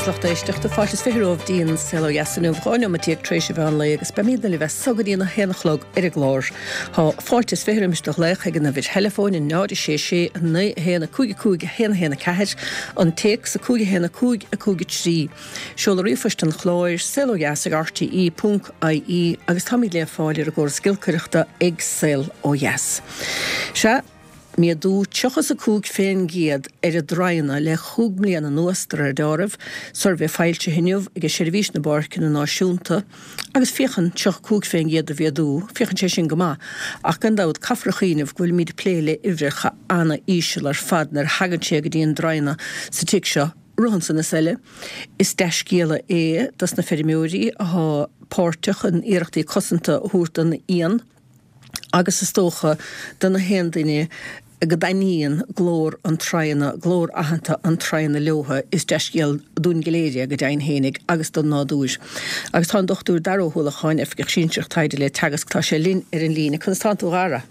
agus lucht éisteachta, fáilte is 20 romhaibh dtí an Saol Ó Dheas inniu, 12 neomat tar éis an mheán lae agus beimidne libh as so go dtí an 1 a chlog ar an gclár. Tá fáilte is 20 roimis do ghlaoch ag an uimhir theileafóin, 0 6 6 9 1 5 5 1 1 4, an téacs 5 1 5 5 3. Seoladh ríomhphoist an chláir, saolodheas ag rte ponc ie agus táimid le fáil ar an gcóras giolcaireachta ag Saol Ó Dheas. Sea. Méadú 35 fén gcéad ar an dtraona le chúig mbliana anuas, de réir deáraimh, suirbhé foilsithe inniu ag Seirbhís na bPáirceanna Náisiúnta, agus féachann 35 fén gcéad de mhéadú, féachann sé sin go maith, ach gan dabht caithfear a chuimhneamh go bhfuilimid ag plé le uimhreacha ana-íseal ar fad nuair a thagann sé go dtí an dtraona sa tic seo. Roimhe san is eile, is dea-scéala é dos na feirmeoirí athá páirteach in iarrachtaí cosanta a thabhairt don éan, agus is dócha do na haon duine go dtaitníonn glór an traona, glór aitheanta an traona leotha, is dea-scéal dúinn go léir é, go deimhin fhéinig, agus don nádúr. Agus tá an Dr Dara Ó hUallacháin, Oifigeach Sinsearach Taighde le Teagasc, tá sé linn ar an líne. Conas tánn tú, a Dhara?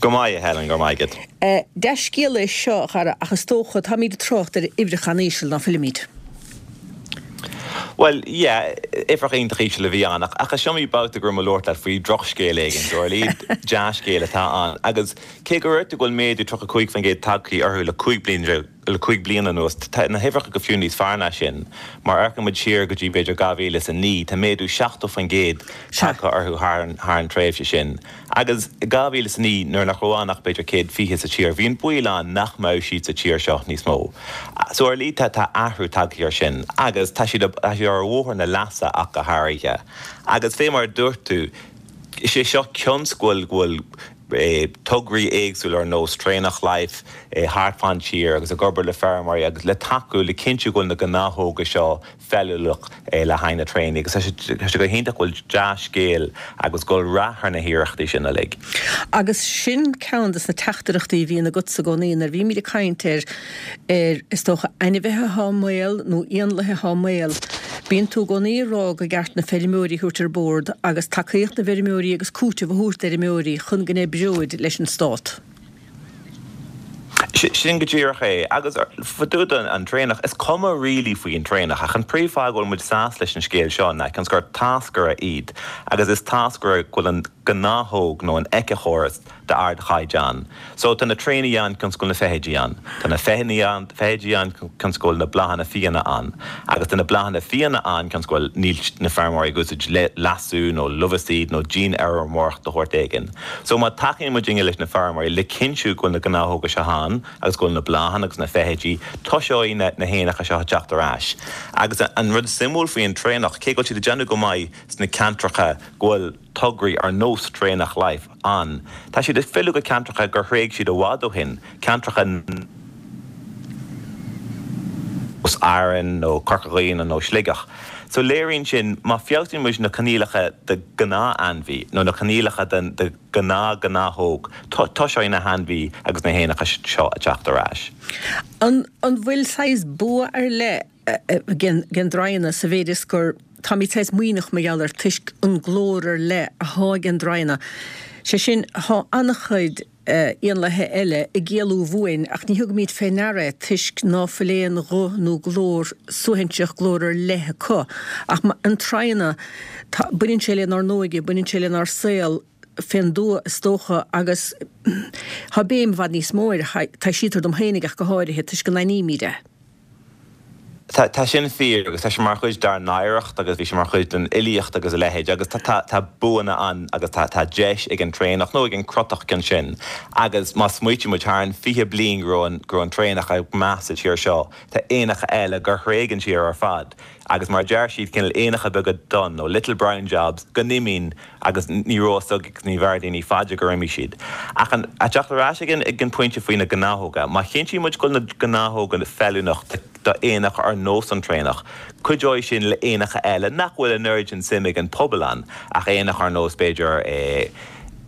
Go maith, a Helen, go raibh maith agat. Dea-scéala é seo, a Dhara, ach is dócha, táimid ag trácht ar uimhreacha an-íseal, ná fuilimid? Bhuel, yeah, uimhreacha iontach íseal a bhí ann, ach is iomaí babhta go raibh mé ag labhairt leat faoi dhrochscéal éigin, so ar a laghad dea-scéal atá ann. Agus cé go raibh go bhfuil méadú 35% tagtha orthu le 15 bliain, le 5 bliana anuas, tá na huimhreacha go fiú níos fearr ná sin. Mar amharcann muid siar go dtí b'fhéidir 2009, tá méadú 70% tagtha orthu thar an tréimhse sin. Agus i 2009, nuair nach raibh ann ach b'fhéidir 120 sa tír, bhí an baol ann nach mbeadh siad sa tír seo níos mó. So ar a laghad tá athrú tagtha ar sin agus tá siad tá siad ar bhóthar na leasa ach go háirithe. Agus fé mar a dúirt tú, is é seo cionn 's go bhfuil go bhfuil tograí éagsúla ar nós Traonach Life thart fán tír agus ag obair le feirmeoirí agus le tacú le cinntiú go bhfuil na gnáthóga seo feiliúnach le haghaidh na traonaí agus tá sé go hiontach go bhfuil dea-scéal agus go bhfuil rath ar na hiarrachtaí sin uilig. Agus sin ceann de na teachtaireachtaí a bhíonn agatsa i gcónaí nuair a bhímid ag caint ar, ar, is dócha, ainmhithe atá i mbaol nó éanlaithe atá i mbaol. Bíonn tú i gcónaí ag rá gur ceart na feirmeoirí a thabhairt ar bord agus tacaíocht na bhfeirmeoirí agus cúiteamh a thabhairt d'fheirmeoirí chun go n-oibreoid leis an stát. Sin go díreach é. Agus fá dtaobh den traonach, is cuma really faoi an traonach, ach an príomhfháth go bhfuil muid sásta leis an scéal seo ná cionn 's gur táscaire iad, agus is táscaire go bhfuil an gnáthóg nó an éiceachóras d'ardchaighdeán. So tá na traonaí ann cionn 's go bhfuil na feithidí ann. Tá na feithidí ann cionn 's go bhfuil na bláthanna fiáine ann. Agus tá na bláthanna fiáine ann cionn 's go bhfuil níl na feirmeoirí ag úsáid leasú nó luibhicíd nó dianfheirmeoireacht de shórt éigin. So má tacaíonn muidinne leis na feirmeoirí le cinntiú go bhfuil na gnáthóga seo ann agus go bhfuil na bláthanna agus na feithidí, toiseoidh na na héanacha seo ag teacht ar ais. Agus an rud suimiúil faoi an traonach, cé go bhfuil siad ag déanamh go maith sna ceantracha go bhfuil tograí ar nós Traonach Life ann, tá siad ag filleadh go ceantracha gur thréig siad i bhfad ó shin, ceantracha nós Árainn nó Corca Dhuibhne nó Sligeach. So léiríonn sin, má feabhsaíonn muid na coinníollacha do ghnáth-ainmhí nó na coinníollacha do ghnáth-ghnáthóg, toiseoidh na hainmhí agus na héanacha seo ag teacht ar ais. An bhfuil saghas bua ar leith ag an dtraona sa mhéid is gur táimid saghas maoithneach mar gheall air toisc an glór ar leith athá ag an dtraona, sé sin, thá an-chuid éanlaithe eile ag éalú uainn ach ní thugaimid fé ndeara é toisc ná fuil aon ghuth nó glór suaithinseach, glór ar leith acu. Ach an traona, tá, baineann sé lenár n-óige, baineann sé lenár saol fén dtuath is dócha agus tá béim i bhfad níos mó air, taibhsítear dom féinig ach go háirithe, toisc go n-aithnímid é. Tá, tá sin fíor agus tá sé mar chuid dár n-oidhreacht agus bhí sé mar chuid den fhilíocht agus a leithéid agus tá, tá, tá buanna ann agus tá, tá deis ag an traonach nó ag an crotach cionn sin agus má smaoitíonn muid thar an 20 bliain go raibh an, go raibh an traonach ag meath sa tír seo, tá éanacha eile gur thréig an tír ar fad agus mar a deir siad cineál éanacha beaga donn nó little brown jobs go n-imíonn agus ní raibh a fhios ag ní bheir daoine fá dear gur imigh siad. Ach an, a teacht ar ais ag an, ag an pointe faoi na gnáthóga, má chinntíonn muid go bhfuil na gnáthóga feiliúnach do, do éanacha ar nós an traonach, cuideoidh sin le éanacha eile nach bhfuil an oiread sin suim ag an pobal ann, ach éanacha ar nós b'fhéidir eh,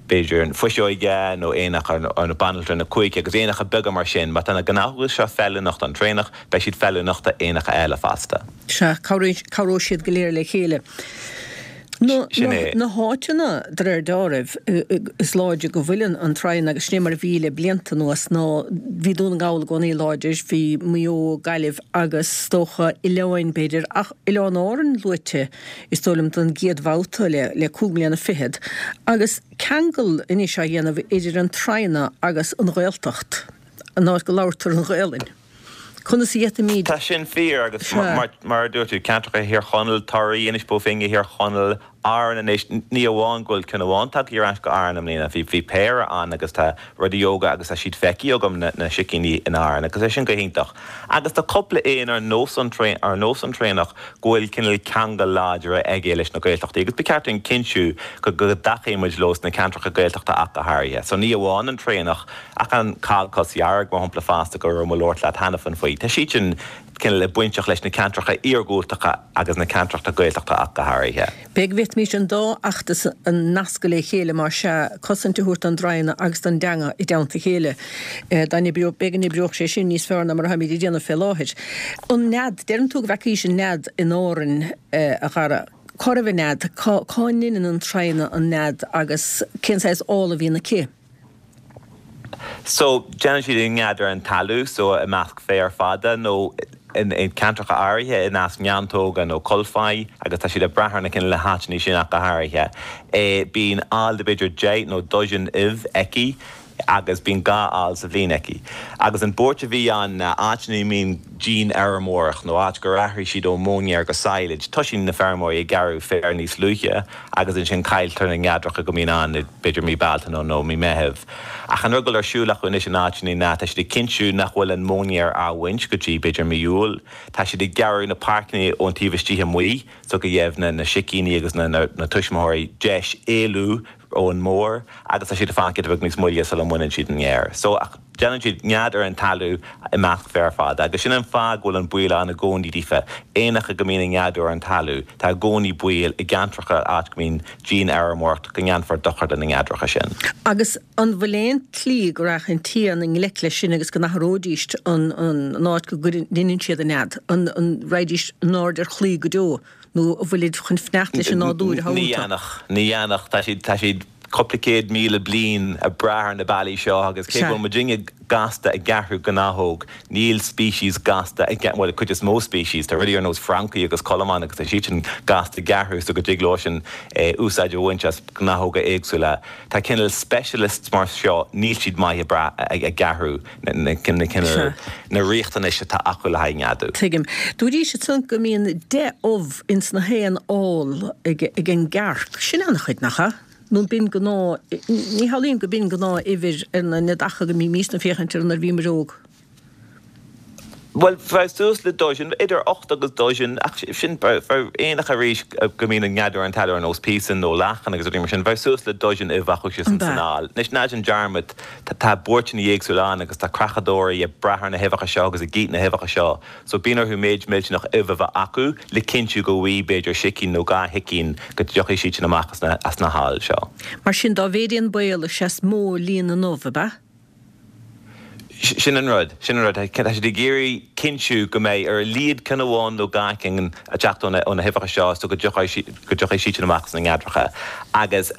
b'fhéidir an fuiseoige nó éanacha ar, ar banaltra na cuaiche agus éanacha beaga mar sin. Má tá na gnáthóga seo feiliúnach don traonach, beidh siad feiliúnach do éanacha eile fosta. Sea, cabhróidh siad go léir le chéile. Sin é. Na háiteanna, de réir deáraimh, is láidre go bhfuil an traighean, agus sin é mar a bhí le blianta anuas, ná bhí Dún na nGall i gcónaí láidir, bhí Maigh Eo, Gaillimh agus is dócha oileáin b'fhéidir, ach Oileáin Árann luaite is dóigh liom don gcéad bhabhta le 25 mbliana, agus ceangal anois á dhéanamh idir an traighean agus an Ghaeltacht, an áit go labhartar an Ghaelainn. Conas a d'fhéadfaimid. Tá sin fíor agus mar a dúirt tú, ceantracha Thír Chonaill, Toraí, Inis Bó Finne, Thír Chonaill, Árainn anois, ní amháin go bhfuil ceann amháin tagtha ar ais go Árainn i mbliana, bhí péire ann agus tá rudaí óga agus tá siad feicthe agam na sicíní in Árainn agus é sin go hiontach. Agus tá cúpla éan ar nós an ar nós an traonach go bhfuil cineál ceangal láidir aige leis na Gaeltachtaí agus ba cheart dúinn cinntiú go dtacaíonn muid leo sna ceantracha Gaeltachta ach go háirithe. So ní amháin an traonach Ach an cogcos dhearg, mar shampla, fosta, go raibh mé ag labhairt leat cheana féin faoi, tá siad sin cineál bainteach leis na ceantracha iargúltacha agus na ceantracha Gaeltachta ach go háirithe. B'fhéidir go bhféadfaimis an dá fheachtas a nascadh le chéile, más ea, cosaint a thabhairt don dtraighean agus don dteanga i dteannta a chéile. Dá n-oibreodh, b'fhéidir go n-oibreodh sé sin níos fearr ná mar atáimid ag déanamh fé láthair. An nead, deireann tú go bhfeacaís an nead in Árainn, a Dhara. Cá raibh an nead? Cá ndeineann an traighean an nead agus cén saghas ál a bhíonn aici? So, déanann siad an nead ar an talamh, so i measc féar fada nó in ceantracha áirithe i measc neantóga nó colpáí agus tá siad ag brath ar na cineál na háiteanna sin ach go háirithe. Bíonn ál de b'fhéidir 10 nó dozen ubh aici agus bíonn dhá ál sa bhliain aici. Agus an buairt a bhí ann ná áiteanna a mbíonn dianfheirmeoireacht nó áit gur athraigh siad ó mhóinéar go sadhlaid, toisíonn na feirmeoirí ag gearradh féar níos luaithe agus ansin cailltear na neadracha go mbíonn ann i b'fhéidir mí Bealtaine nó mí Meitheamh. Ach an rud go bhfuil ar siúl acu anois in áiteanna ná tá siad ag cinntiú nach bhfuil an móinéar á bhaint go dtí b'fhéidir mí Iúil. Tá siad ag gearradh na páirceanna ón taobh istigh amuigh so go gheibh na sicíní agus na tuismitheoirí deis éalú ón mbór agus tá siad ag fanacht giota beag níos moille sula mbaineann siad an fhéar. So, ach déanann siad nead ar an talamh i measc féar fada agus sin an fáth go bhfuil an baol ann i gcónaí daofa. Éanacha go mbíonn ag neadú ar an talamh, tá i gcónaí baol i gceantracha áit go mbíonn dianfheirmeoireacht go ndéanfar dochar do na neadracha sin. Agus an bhfuil aon tslí go rachadh an t-éan i ngleic leis sin agus go n-athróidís an áit go ndeineann siad a nead? An raghaidís in airde ar chlaí go deo? Nó an bhfuilid chun fanacht leis an nádúr atá Ní iontu? dhéanfadh, ní dhéanfadh. Tá siad, tá siad cúpla 100,000 bliain ag brath ar na bealaí seo agus cé go bhfuil muidinne gasta ag athrú gnáthóg, níl species gasta ag, bhuel, cuid is mó species, tá rudaí ar nós francaigh agus colmáin agus tá siad sin gasta ag athrú so go dtig leo sin úsáid a bhaint as gnáthóga éagsúla. Tá cineál specialists mar seo, níl siad maith ag brath ag athrú. na cineál, na riachtanais atá acu le haghaidh neadú. Tuigim. Dúraís ansan go mbíonn 10 ubh ins na haon ál ag an gcearc. Sin an-chuid, nach ea? Nó b'in gnáth, ní shamhlaím go b'in gnáth uimhir ar na neadacha go mbímísne ag féachaint orthu nuair a bhíomar óg. Bhuel, bheadh suas le dozen, idir ocht agus dozen, ach sin, bheadh éanacha arís go mbíonn ag neadú ar an talamh ar nós píosan nó lachan agus rudaí mar sin, bheadh suas le dozen ubh acu san ál. Anois, ná déan dearmad, Tá buairteanna éagsúla ann agus tá creachadóirí ag brath ar na huibheacha seo agus ag ithe na huibheacha seo so bíonn orthu méid millteanach ubh a bheith acu le cinntiú go bhfaighidh b'fhéidir sicín nó dhá shicín go dtiocfaidh siad sin amach as na haill seo. Mar sin dá mhéid é an baol is ea is mó líon na n-ubh, ab ea? Sin an rud, sin an rud. Tá siad ag iarraidh cinntiú go mbeidh ar a laghad ceann amháin nó dhá cheann ag teacht ó na huibheacha seo so go dtiocfaidh siad sin amach as na neadracha agus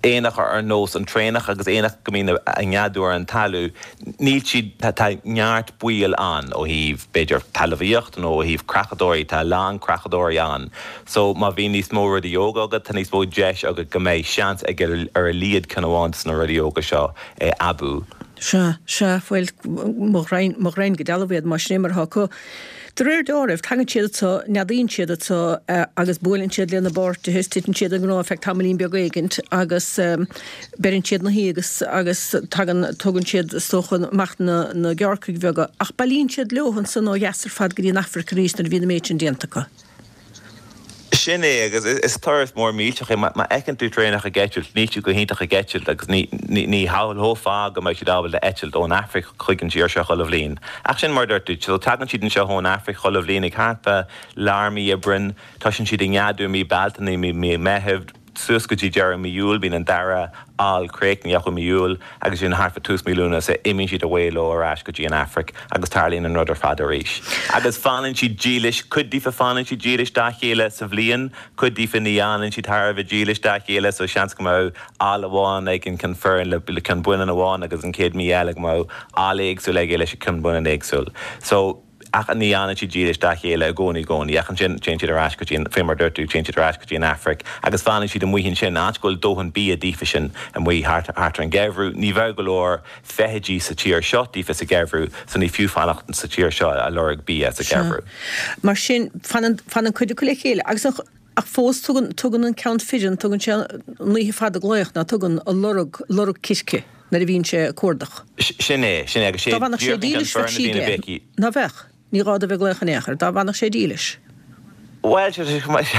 éanacha ar nós an traonach agus éanacha go mbíonn ag neadú ar an talamh, níl siad, tá neart baoil ann ó thaobh b'fhéidir talmhaíocht nó ó thaobh creachadóirí, tá a lán creachadóirí ann so má bhíonn níos mó rudaí óga agat, tá níos mó deis agat go mbeidh seans ag ar a laghad ceann amháin de na rudaí óga seo aibiú. Sea, sea, bhuel, mo ghraidhin, mo ghraidhin go dealbh iad, más sin é mar atá acu. De réir deáraimh, tagann siad anso, neadaíonn siad anso agus buaileann siad lena bpáirtithe is titeann siad i ngrá feadh tamaillín beag éigint agus beireann siad 'na shuí agus agus tagann, tugann siad is dócha amach na na gearrcaigh bheaga ach bailíonn siad leo ansan ó dheas ar fad go dtí an Afraic arís nuair a bhíonn an méid sin déanta acu. Sin é, agus is turas mór millteach é. Má fheiceann tú traonach ag eitilt, níl siad go hiontach ag eitilt agus ní shamhlófá go mbeadh siad ábalta eitilt ón Afraic chuig an tír seo chuile bhliain. Ach sin mar a dúirt tú, so tagann siad anseo ón Afraic chuile bhliain ag thart fá lár mí Aibreáin, toisíonn siad ag neadú i mí Bealtaine, mí Meithimh. suas go dtí deireadh mí Iúil, bíonn an dara ál críochnaithe acu i mí Iúil agus ansin thart fá tús mí Lúnasa imíonn siad away leo ar ais go dtí an Afraic agus tarlaíonn an rud ar fad arís. Agus fanann siad dílis, cuid díofa fanann siad dílis dá chéile sa bhliain, cuid díofa ní fhanann siad thar a bheith dílis dá chéile so seans go mbeadh ál amháin ag an ceann fireann le ceann baineann amháin agus an chéad mí eile go mbeadh ál éagsúil aige leis an ceann baineann éagsúil. So. Ach ní fhanann siad dílis dá chéile i gcónaí i gcónaí. Ach ansin téann siad ar ais go dtí an, fé mar a dúirt tú, téann siad ar ais go dtí an Afraic agus fanann siad amuigh ansin, áit go bhfuil dóthain bia daofa sin amuigh thart, thart ar an gheimhreadh. Ní bheadh go leor feithidí sa tír seo daofa sa gheimhreadh so ní fiú fanacht sa tír seo a lorg bia sa Sea. gheimhreadh. Mar sin, fanann, fanann cuid acu le chéile agus an, ach fós tugann, tugann an ceann fireann, tugann sé an oíche fada ag glaoch, ná tugann, ag lorg, lorg circe nuair a bhíonn sé ag cuardach. Sin é, sin é, agus sé Dá bhfanfadh sé díreach an ceann dílis bheadh fireann a sí bhíonn ag aige. béicíl. Ná bheadh? Ní gá dó bheith ag glaoch in aon chor, dá bhfanfadh sé dílis. Bhuel, sé chomh maith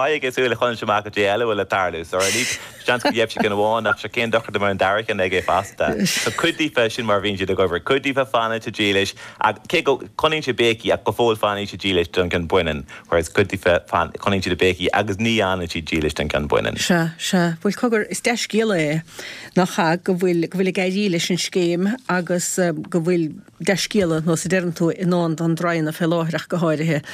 aige súil a choinneáil amach cad é eile a bhfuil ag tarlú. So, ar ndóigh, seans go gheibh sé ceann amháin ach sure cén dochar dá mbeadh an dara ceann aige fosta. So, cuid díofa, sin mar a bhíonn siad ag obair, cuid díofa fanann siad dílis ach cé go coinníonn siad béicí ach go fóill fanann siad dílis don gceann baineann. Whereas cuid díofa coinníonn siad ag béicí agus ní fhanann siad dílis don gceann baineann. Sea, sea. Bhuel, cogar, is dea-scéala é, nach ea, go bhfuil, go bhfuil ag éirí leis an scéim agus go bhfuil dea-scéala, nós a deireann tú, i ndán don draighean fé láthair ach go háirithe,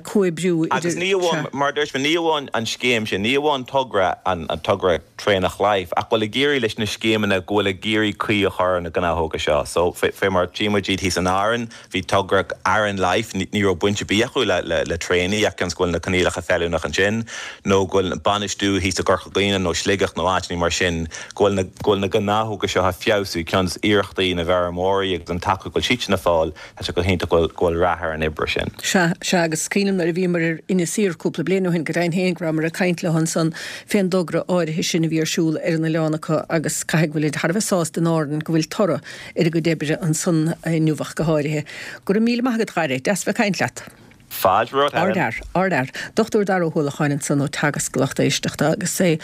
comhoibriú idir, Agus ní amháin, sea. mar a dúirt mé, ní amháin an scéim sin, ní amháin togra, an togra Traonach Life, ach go bhfuil ag éirí leis na scéimeanna, go bhfuil ag iarraidh caoi a chur ar na gnáthóga seo. So, fé, fé mar a tchí muid iad thíos in Árainn, Bhí togra Aran Life, ní raibh baint ar bith acu le traonaigh ach cionn is go bhfuil na coinníollacha feiliúnach ansin, nó go bhfuil bainistiú thíos i gCorca Dhuibhne nó Sligeach nó áiteanna mar sin, go bhfuil na, go bhfuil na gnáthóga seo á feabhsú, cionn is iarrachtaí na bhfeirmeoirí agus an tacaíocht go bhfuil siadsan ag fáil, tá sé go hiontach go bhfuil, go bhfuil rath ar an oibre sin. Sea, sea, agus is cuimhin liom nuair a bhíomar ar Inis Oírr cúpla bliain ó shin, go deimhin féin go rabhamar ag caint leo ansan fén dtogra áirithe sin a bhí ar siúl ar an oileán acu agus caithfidh go bhfuilid thar a bheith sásta in Árainn go bhfuil toradh ar a gcuid oibre ansan inniu ach go háirithe. Go raibh míle maith agat, a Dhara. Deas bheith ag caint leat. Fáilte romhat, Helen. Ardfhear, ardfhear. Dochtúir Dara Ó hUallacháin ansan ó Teagasc, a lucht éisteachta, agus é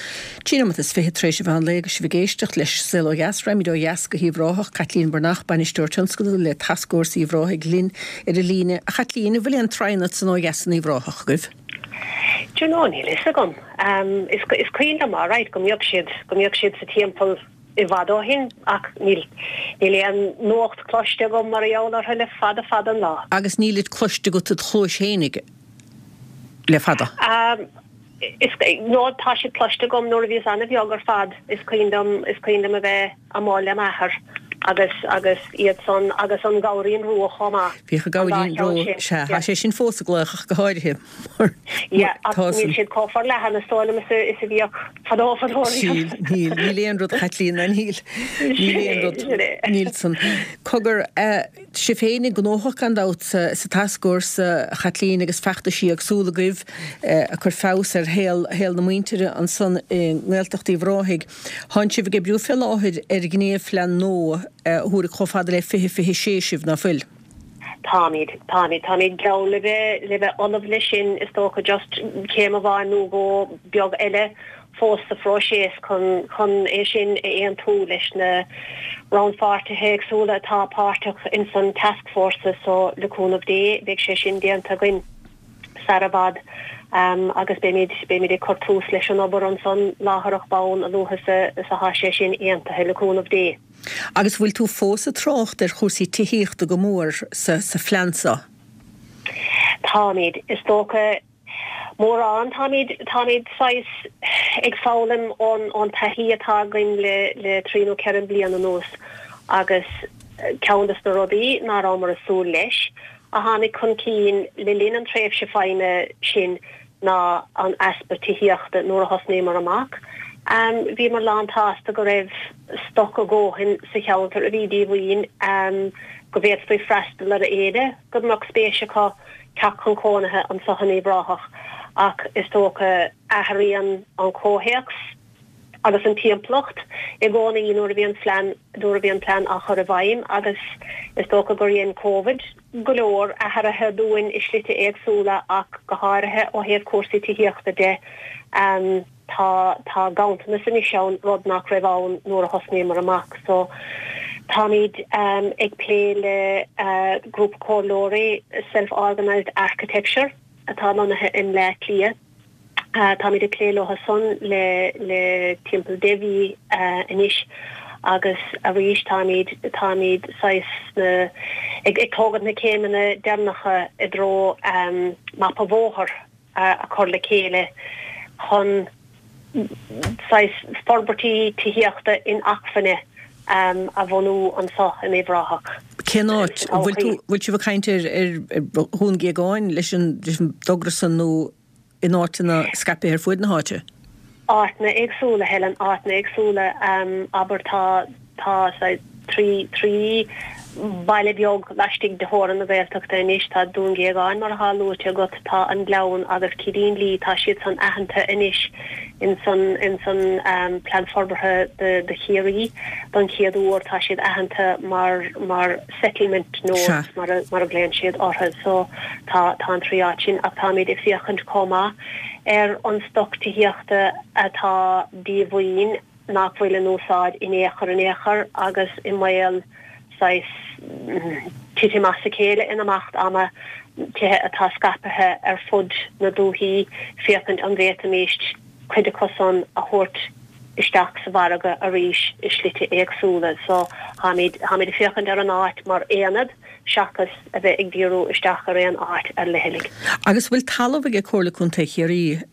13 nóimeat is 20 tar éis an mheán lae agus sibh ag éisteacht leis Saol Ó Dheas. Raghaimid ó dheas go hUíbh Ráthach. Caitlín Breathnach, Bainisteoir Tionscadail le Tascfhórsa Uíbh Ráthaigh linn ar an líne. A Chaitlín, an bhfuil aon traighean ansan ó dheas in Uíbh Ráthach agaibh? Do you know, níl fhios agam. Is cuimhin liom alright go mbíodh siad, go mbíodh siad sa timpeall i bhfad ó shin ach níl níl aon nuacht cloiste agam mar gheall orthu le fada fada an lá. Agus nílid cloiste agat id chluais fhéinig le fada? Is no tá siad cloiste agam nuair a bhíos ana-bheag ar fad is cuimhin liom is cuimhin liom a bheith amuigh le m'athair agus agus iad san agus an gabhairín rua chomh maith. Bhíodh an An dá gabhairín cheann rua, sin, sea, yeah. tá sé sin fós ag glaoch ach go háirithe. Yeah, ach níl siad chomh forleathan is dóigh liom is a bhíodh fadó fadó riamh. Níl, níl, níl aon rud, a Chaitlín, ná níl, níl aon rud, níl san. Cogar, sibh féin gnóthach gan dabht sa Tascfhórsa, a Chaitlín, agus feachtaisí éagsúla agaibh ag cur feabhas ar shaol, shaol na muintire ansan i nGaeltacht Uíbh Ráthaigh. Tánn sibh ag oibriú fé láthair ar ghníomhphlean nua a thabharfaidh chomh fada le 2026 sibh, ná fuil? Táimid, táimid, táimid geall le bheith, le bheith ullamh leis sin, is dócha, just céim amháin nó dhó beag eile fós sa phróiseas chun, chun é sin a aontú leis na rannpháirtithe éagsúla atá páirteach ins an tascfhórsa so le cúnamh Dé beidh sé sin déanta againn sar i bhfad agus beimid, beimid ag cur tús leis an obair ansan láithreach bonn a luaithe is a, is atá sé sin aontaithe le cúnamh Dé. Agus bhfuil tú fós ag trácht ar chúrsaí tithíochta go mór sa phlean seo? Táimid, is dócha, mórán. Táimid, táimid saghas ag foghlaim ón, ón taithí atá againn le, le trí nó ceithre bliana anuas agus ceann des na rudaí ná rabhamar ag súil leis a tháinig chun cinn le linn an tréimhse feidhme sin ná an easpa tithíochta nuair a thosnaíomar amach. Bhíomar lánsásta go raibh stoc a dhóthain sa cheantar a bhí díomhaoin, go bhféadfaí freastal ar éinne go mbeadh spéis acu teacht chun cónaithe anseo in Uíbh Ráthach ach is dócha athraíonn an comhthéacs agus an timpeallacht i gcónaí nuair a bhíonn plean nuair a bhíonn plean á chur i bhfeidhm agus is dócha gur dhein Covid go leor athruithe dúinn i slite éagsúla ach go háirithe ó thaobh cúrsaí tithíochta de. Tá tá ganntanas anois ann, rud nach raibh ann nuair a thosnaíomar amach. So táimid ag plé le grúpa comhairleoirí Self Organised Architecture atá lonnaithe i mBleá Cliath. Táimid ag plé leo san le le timpeall deich mhí anois agus arís táimid táimid saghas sna ag ag tógaint na céimeanna deireanacha i dtreo mapa bóthair a chur le chéile chun saghas forbairtí tithíochta inacmhainne a bhunú anseo in Uíbh Ráthach. Cén áit? An bhfuil tú, bhfuil sibh ag caint ar ar Dhún Géagáin leis an leis an dtogra san nó in áiteanna scaipthe ar fuaid na háite? Áiteanna éagsúla, Helen, áiteanna éagsúla. Abair tá, tá 3, 3 baile beag laistigh de theorainn na Gaeltachta anois, tá Dún Géagáin mar atá luaite agat, tá an Gleann agus Cillín Lí, tá siad san aitheanta anois in san, in san Plean Forbartha do, do Chiarraí don chéad uair, tá siad aitheanta mar, mar settlement nodes mar a, mar a ghlaonn siad orthu. So tá, tá an 3 áit sin ach táimid ag féachaint chomh maith ar an stoc tithíochta atá díomhaoin, nach bhfuil in úsáid in aon chor in aon chor agus i mbaol saghas titim as a chéile in imeacht ama, tithe atá scaipthe ar fud na dúichí, féachaint an bhféadfaimis cuid acu san a thabhairt isteach sa mhargadh arís i slite éagsúla. So, táimid, táimid ag féachaint ar an áit mar aonad seachas a bheith ag díriú isteach ar aon áit ar leithligh. Agus bhfuil talamh ag Comhairle Contae Chiarraí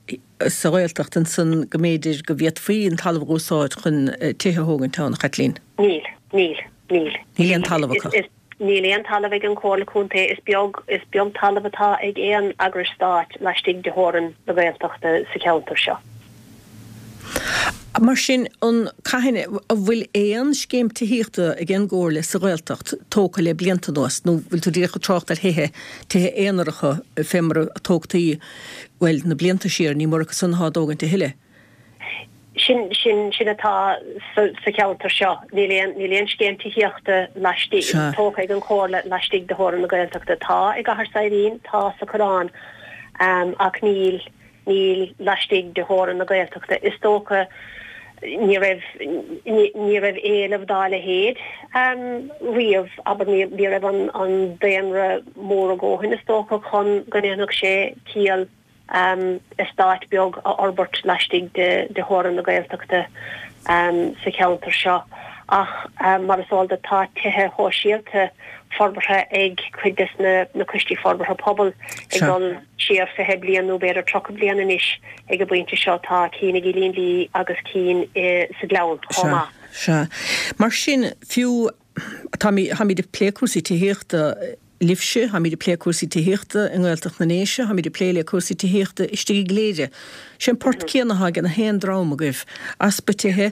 sa Ghaeltacht ansan go mb'fhéidir go bhféadfaí an talamh a dh'úsáid chun tithe a thógaint ann, a Chaitlín? Níl. Níl. Níl. Níl aon talamh acu. Níl aon talamh ag an Chomhairle Contae. Is beag, is beag talamh atá ag aon eagrais stáit laistigh de theorainn na Gaeltachta sa cheantar seo. Mar sin, an, cathain, an bhfuil aon scéim tithíochta ag an gComhairle sa Ghaeltacht tógtha le blianta anuas nó bhfuil tú díreach ag trácht ar thithe, tithe aonaracha fé mar a tógtaí, bhuel, na blianta siar, ní mór acu san atá á dtógaint a thuilleadh? Sin, sin, sin atá sa, sa cheantar seo. Níl aon, níl aon scéim tithíochta laistigh, tógtha ag an Chomhairle laistigh de theorainn na Gaeltachta. Tá i gCathair Saidhbhín, tá sa Choireán, ach níl, Níl laistigh de theorainn na Gaeltachta. Is dócha ní raibh ní raibh éileamh dá leithéid riamh, abair, ní raibh an daonra mór a dhóthain, is dócha, chun go ndéanfadh sé ciall eastát beag a fhorbairt laistigh de theorainn na Gaeltachta sa cheantar seo. Ach mar is eol duit, tá tithe shóisialta forbartha ag cuid des na coistí forbartha pobail ag dul siar 20 bliain nó b'fhéidir 30 bliain anois ag an bpointe seo. Tá cinn i gCillín Lí agus cinn sa Ghleann chomh maith. Sea. Mar sin, fiú, táimid, táimid ag plé cúrsaí tithíochta libhse, táimid ag plé cúrsaí tithíochta i nGaeltacht na nDéise, táimid ag plé le cúrsaí tithíochta istigh i gCléire. Sé an port céanna atá ag na haon dream agaibh, easpa tithe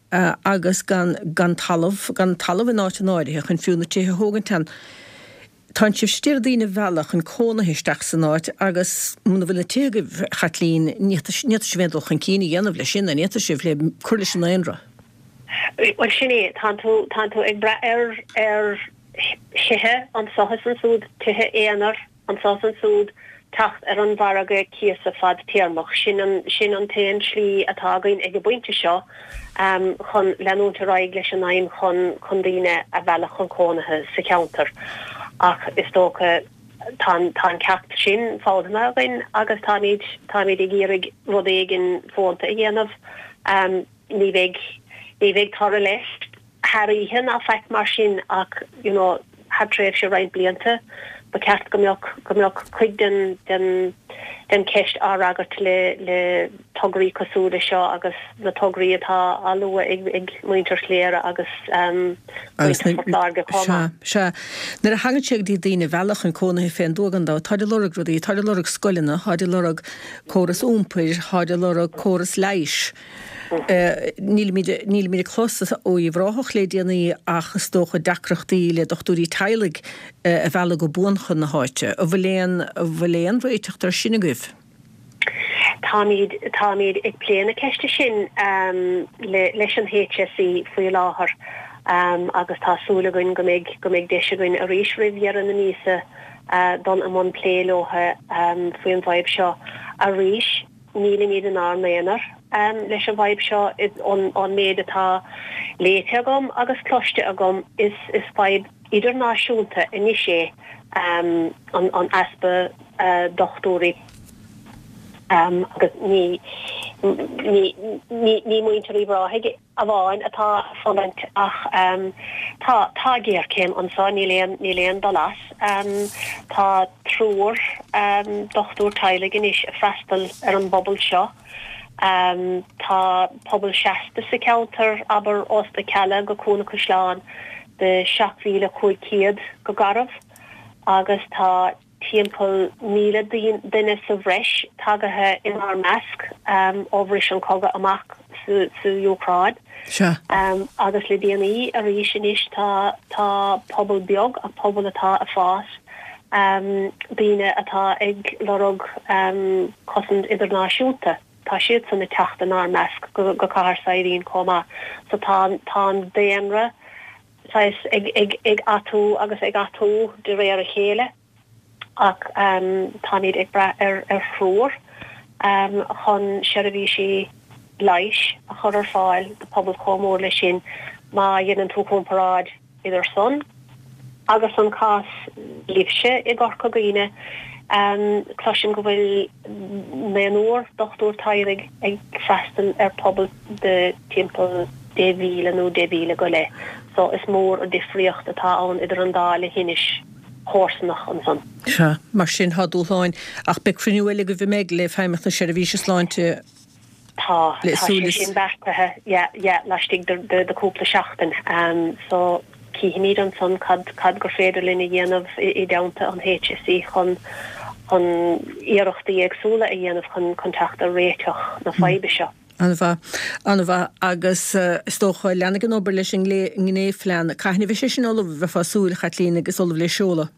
agus gan, gan talamh, gan talamh in áiteanna áirithe chun fiú na tithe a thógaint ann. Tánn sibhse ag iarraidh daoine a mhealladh chun cónaithe isteach san áit agus muna bhfuil na tithe agaibh, a Chaitlín, ní fhéadfaidh sibh aon dul chun cinn a dhéanamh leis sin, an bhféadfaidh sibh, le cur leis an ndaonra? Bhuel, sin é. Tánn tú, tánn tú ag brath ar, ar thithe anso is ansúd, tithe aonair anso is ansúd, teacht ar an mhargadh cíosa fadtéarmach. Sin an, sin an t-aon slí atá againn ag an bpointe seo chun leanúint ar aghaidh leis an aidhm chun, chun daoine a mhealladh chun cónaithe sa cheantar. Ach is dócha tá an, tá an ceacht sin foghlamtha againn agus táimid, táimid ag iarraidh rud éigin fónta a dhéanamh. Ní bheidh, ní bheidh toradh leis thar oíche ná faic mar sin ach you know thar tréimhse roinnt blianta ba cheart go mbeadh, go mbeadh cuid den, den, den cheist á fhreagairt le, le tograí cosúil le seo agus na tograí atá á lua ag, ag muintir Chléire agus muintir Phort Láirge chomh maith. Sea, sea. Nuair a thagann sé go dtí daoine a mhealladh chun cónaithe fén dtuath gan dabht, táid ag lorg rudaí, táid ag lorg scoileanna, táid ag lorg córas iompair, táid ag lorg córas leighis. Nílimid, nílimid ag clos ó Uíbh Ráthach le déanaí ach is dócha deacrachtaí le dochtúirí teaghlaigh a mhealladh go buan chun na háite. An bhfuil aon, an bhfuil aon réiteach air sin agaibh? Táimid, táimid ag plé na ceiste sin le, leis an HSE faoi láthair agus tá súil againn go mbeidh, go mbeidh deis againn arís roimh dheireadh na míosa dul i mbun plé leo faoin bhfadhb seo arís. Nílimid inár n-aonar leis an bhfadhb seo. Ón méid atá léite agam agus cloiste agam, is fadhb idirnáisiúnta anois é an easpa dochtúirí. Agus ní, ní, ní, ní muintir Uíbh Ráthaigh amháin atá ag fulaingt ach tá, tá géarchéim anso, níl aon, níl aon dul as. Tá triúr dochtúir teaghlaigh anois ag freastal ar an bpobal seo. Tá pobal seasta sa cheantar, abair, ós na Cealla go Cuan an Chaisleáin de 7,500 go garbh agus tá timpeall 1,000 duine sa bhreis tagaithe inár measc ó bhris an cogadh amach sa Úcráin. Agus le déanaí arís anois tá tá pobal beag ach pobal atá ag fás, daoine atá ag lorg cosaint idirnáisiúnta, tá siadsan ag teacht inár measc go Cathair Saidhbhín chomh maith. So tá tá an daonra saghas ag atú agus ag atú de réir a chéile ach táimid ag brath ar thriúr chun seirbhísí leighis a chur ar fáil do pobal chomh mór leis sin. Má dhéanann tú comparáid idir san agus an cás libhse i gCorca Dhuibhne, cloisim go bhfuil naonúr dochtúir teaghlaigh ag freastal ar pobal de timpeall 10,000 nó 10,000 go leith. So is mór an difríocht atá ann idir an dá leithinis chomharsanach ansan. Sea, mar sin tá dúshláin. Ach beidh cruinniú eile agaibh an mbeidh le Feidhmeannacht na Seirbhíse Sláinte Tá, tá sé sin beartaithe, yeah, yeah, laistigh de de cúpla seachtain. So cífimid ansan cad cad gur féidir linn a dhéanamh i dteannta an HSE chun chun iarrachtaí éagsúla a dhéanamh chun chun teacht ar réiteach na faidhbe seo. An-mhaith. An-mhaith. Agus is dócha, leanfaidh an obair leis an nGnéphlean. Cathain a bheidh sé sin ullamh, bheifeá ag súil, a Chaitlín, agus ullamh le seoladh?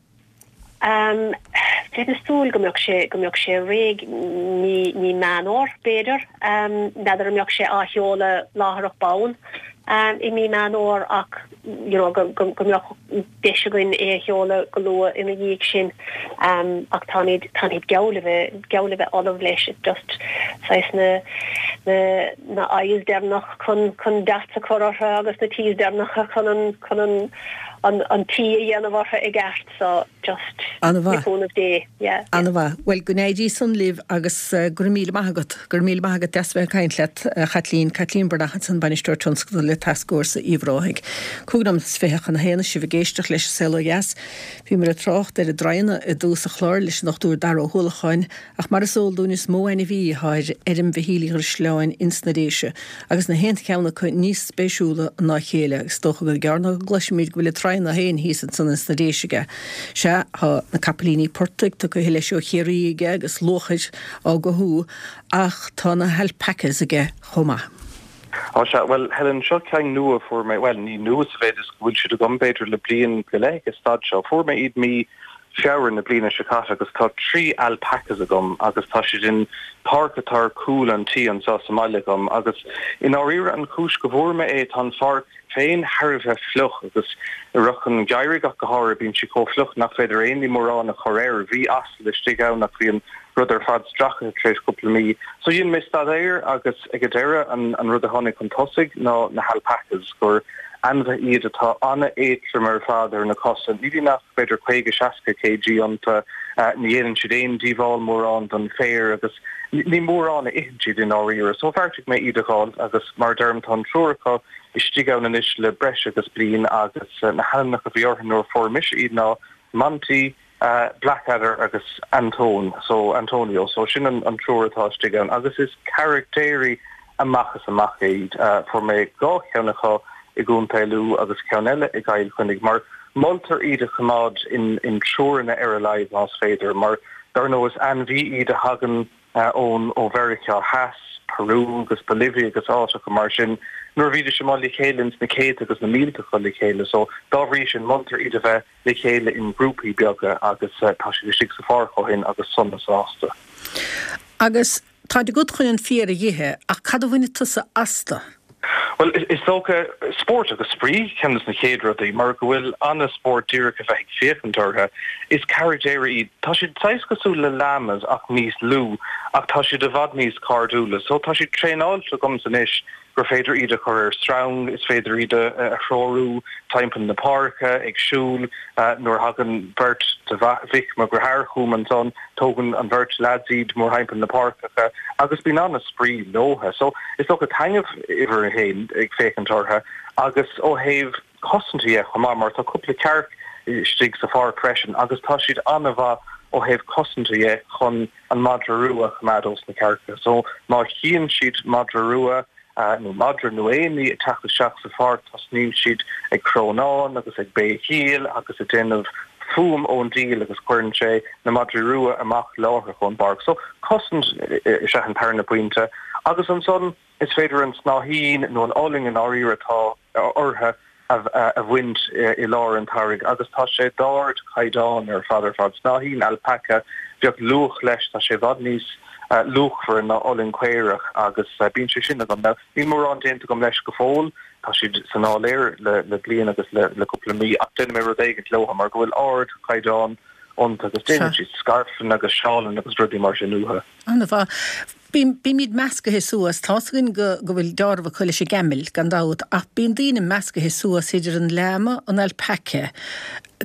Bheinn ag súil go mbeadh sé, go mbeadh sé réidh mí, mí Meán Fhómhair, b'fhéidir. N'fheadar an mbeadh sé á sheoladh láithreach bonn i mí Meán Fhómhair ach you know go, go, go mbeadh deis againn é a sheoladh go luath ina dhiaidh sin. Ach táimid, táimid geall le bheith, geall le bheith ullamh leis. It's just saghas na, na, na I's deireanach chun, chun dots a chur orthu agus na T's deireanacha chun an, chun an, an, an T a dhéanamh orthu i gceart so just An-mhaith. le cúnamh Dé, yeah, yeah. An-mhaith. Bhuel, go n-éirí san libh agus go raibh míle maith agat. Go raibh míle maith agat. Deas a bheith ag caint leat, a Chaitlín. Caitlín Breathnach ansan, Bainisteoir Tionscadal le Tascfhórsa Uíbh Ráthaigh. Cúig nóiméad is fiche chun a haon is sibh ag éisteacht leis An Saol Ó Dheas. Bhíomar ag trácht ar an dtraíonna i dtús an chláir leis an Dr Dara Ó hUallacháin ach mar is eol dúinn is mó ainmhí atá ar fheirm Mhichíl Uí Dhrisleáin ins na Déise agus na haon cheann acu níos spéisiúla ná a chéile agus is dócha gur gearr ná go gcloisfimid go bhfuil an traíonna féin thíos ansan ins na Déise aige. Sea, tá na capaillíní portaigh tugtha leis ó Chiarraí aige agus luachair á gcothú ach tá na halpacas aige chomh maith. Á sea, bhuel Helen, seo ceann nua a fuair mé, bhuel ní nua sa mhéid is go bhfuil siad agam b'fhéidir le bliain go leith ag an staid seo. Fuair mé iad mí Feabhra na bliana seo caite agus tá 3 alpacas agam agus tá siad in páirc atá ar cúl an tí anseo sa mbaile agam agus i ndáiríre an chúis go bhfuair mé é tá an pháirc féin thar a bheith fliuch agus i rith an gheimhridh ach go háirithe bíonn sí chomh fliuch nach féidir aon ní mórán a chur air. Bhí asal istigh ann ach bhí an rud ar fad stractha tar éis cúpla mí. So dhein mé staidéar agus ag an deireadh an an rud a tháinig chun tosaigh ná na halpacas gur ainmhithe iad atá an-éatrom ar fad ar na cosa. Ní bhíonn ach b'fhéidir 50, 60 kg iontu. Ní dhéanann siad aon díobháil mórán don féar agus ní mórán a itheann siad i ndáiríre. So bheartaigh mé iad a dh'fháil agus mar a deirim tá an triúr acu istigh ann anois le breis agus bliain agus na hainmneacha a bhí orthu nuair a fuair mise iad ná Monty, Blackadder agus Antón, so Antonio, so sin an triúr atá istigh ann agus is carachtéirí amach is amach iad. Fuair mé dhá cheann acu i gContae Lú agus ceann eile i gCill Chainnigh mar moltar iad a choimeád in triúranna ar a laghad más féidir mar dar ndóigh is ainmhí iad a thagann ón ó Mheiriceá Theas, Peru agus Bolivia agus áiteacha mar sin nuair a bhídís amuigh le chéile ins na céadta agus na mílte acu le chéile so dá bhrí sin moltar iad a bheith le chéile in grúpaí beaga agus tá siad istigh sa pháirc ó shin agus sona sásta. Agus táid agat chun an féar a dh'ithe, ach cad a bhainfidh tusa astu? Bhuel, is dócha, spórt agus spraoi ceann de na chéad rudaí, mar go bhfuil an-spórt díreach a bheith ag féachaint orthu. Is carachtéirí iad. Tá siad saghas cosúil le llamas ach níos lú, ach tá siad i bhfad níos cairdiúla. So tá siad traenáilte agamsa anois. gur féidir iad a chur ar sreang, is féidir iad a threorú timpeall na páirce, ag siúl. Nuair a thagann beirt de mhic mo dhearthár chugam ansan, tógann an bheirt leaids iad mórthimpeall na páirceacha agus bíonn an-spraoi leotha. So, is dócha taitneamh uimhir a haon ag féachaint orthu agus ó thaobh cosanta dhe chomh maith mar tá cúpla cearc istigh sa pháirc freisin agus tá siad an-mhaith ó thaobh cosanta dhe chun an madra rua a choimeád ós na cearca. So má chíonn siad madra rua nó madra nó aon ní ag teacht isteach sa pháirc tosnaíonn siad ag crónán agus ag béicíl agus ag déanamh fuaim ón diabhal agus cuireann sé na madraí rua amach láithreach ón bpáirc. So cosaint is ea an tarna pointe agus ansan is féidir an snáithín nó an olainn i ndáiríre atá orthu a bhaint i lár an tsamhraidh agus tá sé d'ardchaighdeán ar fad ar fad. Snáithín alpaca, bheadh luach leis, tá sé i bhfad níos luachmhaire ná olainn caorach agus bíonn sé sin agam. Now, níl mórán déanta agam leis go fóill, tá siad san áiléar le bliain agus le cúpla mí ach déanfaidh mé rud éigint leo mar go bhfuil ardchaighdeán iontu agus déanann siad scairfeanna agus seálanna agus rudaí mar sin uathu. An-mhaith. Bímid meascaithe suas. Tá's againn go go bhfuil deáramh acu leis an gcamel, gan dabht, ach bíonn daoine meascaithe suas idir an llama, an alpaca.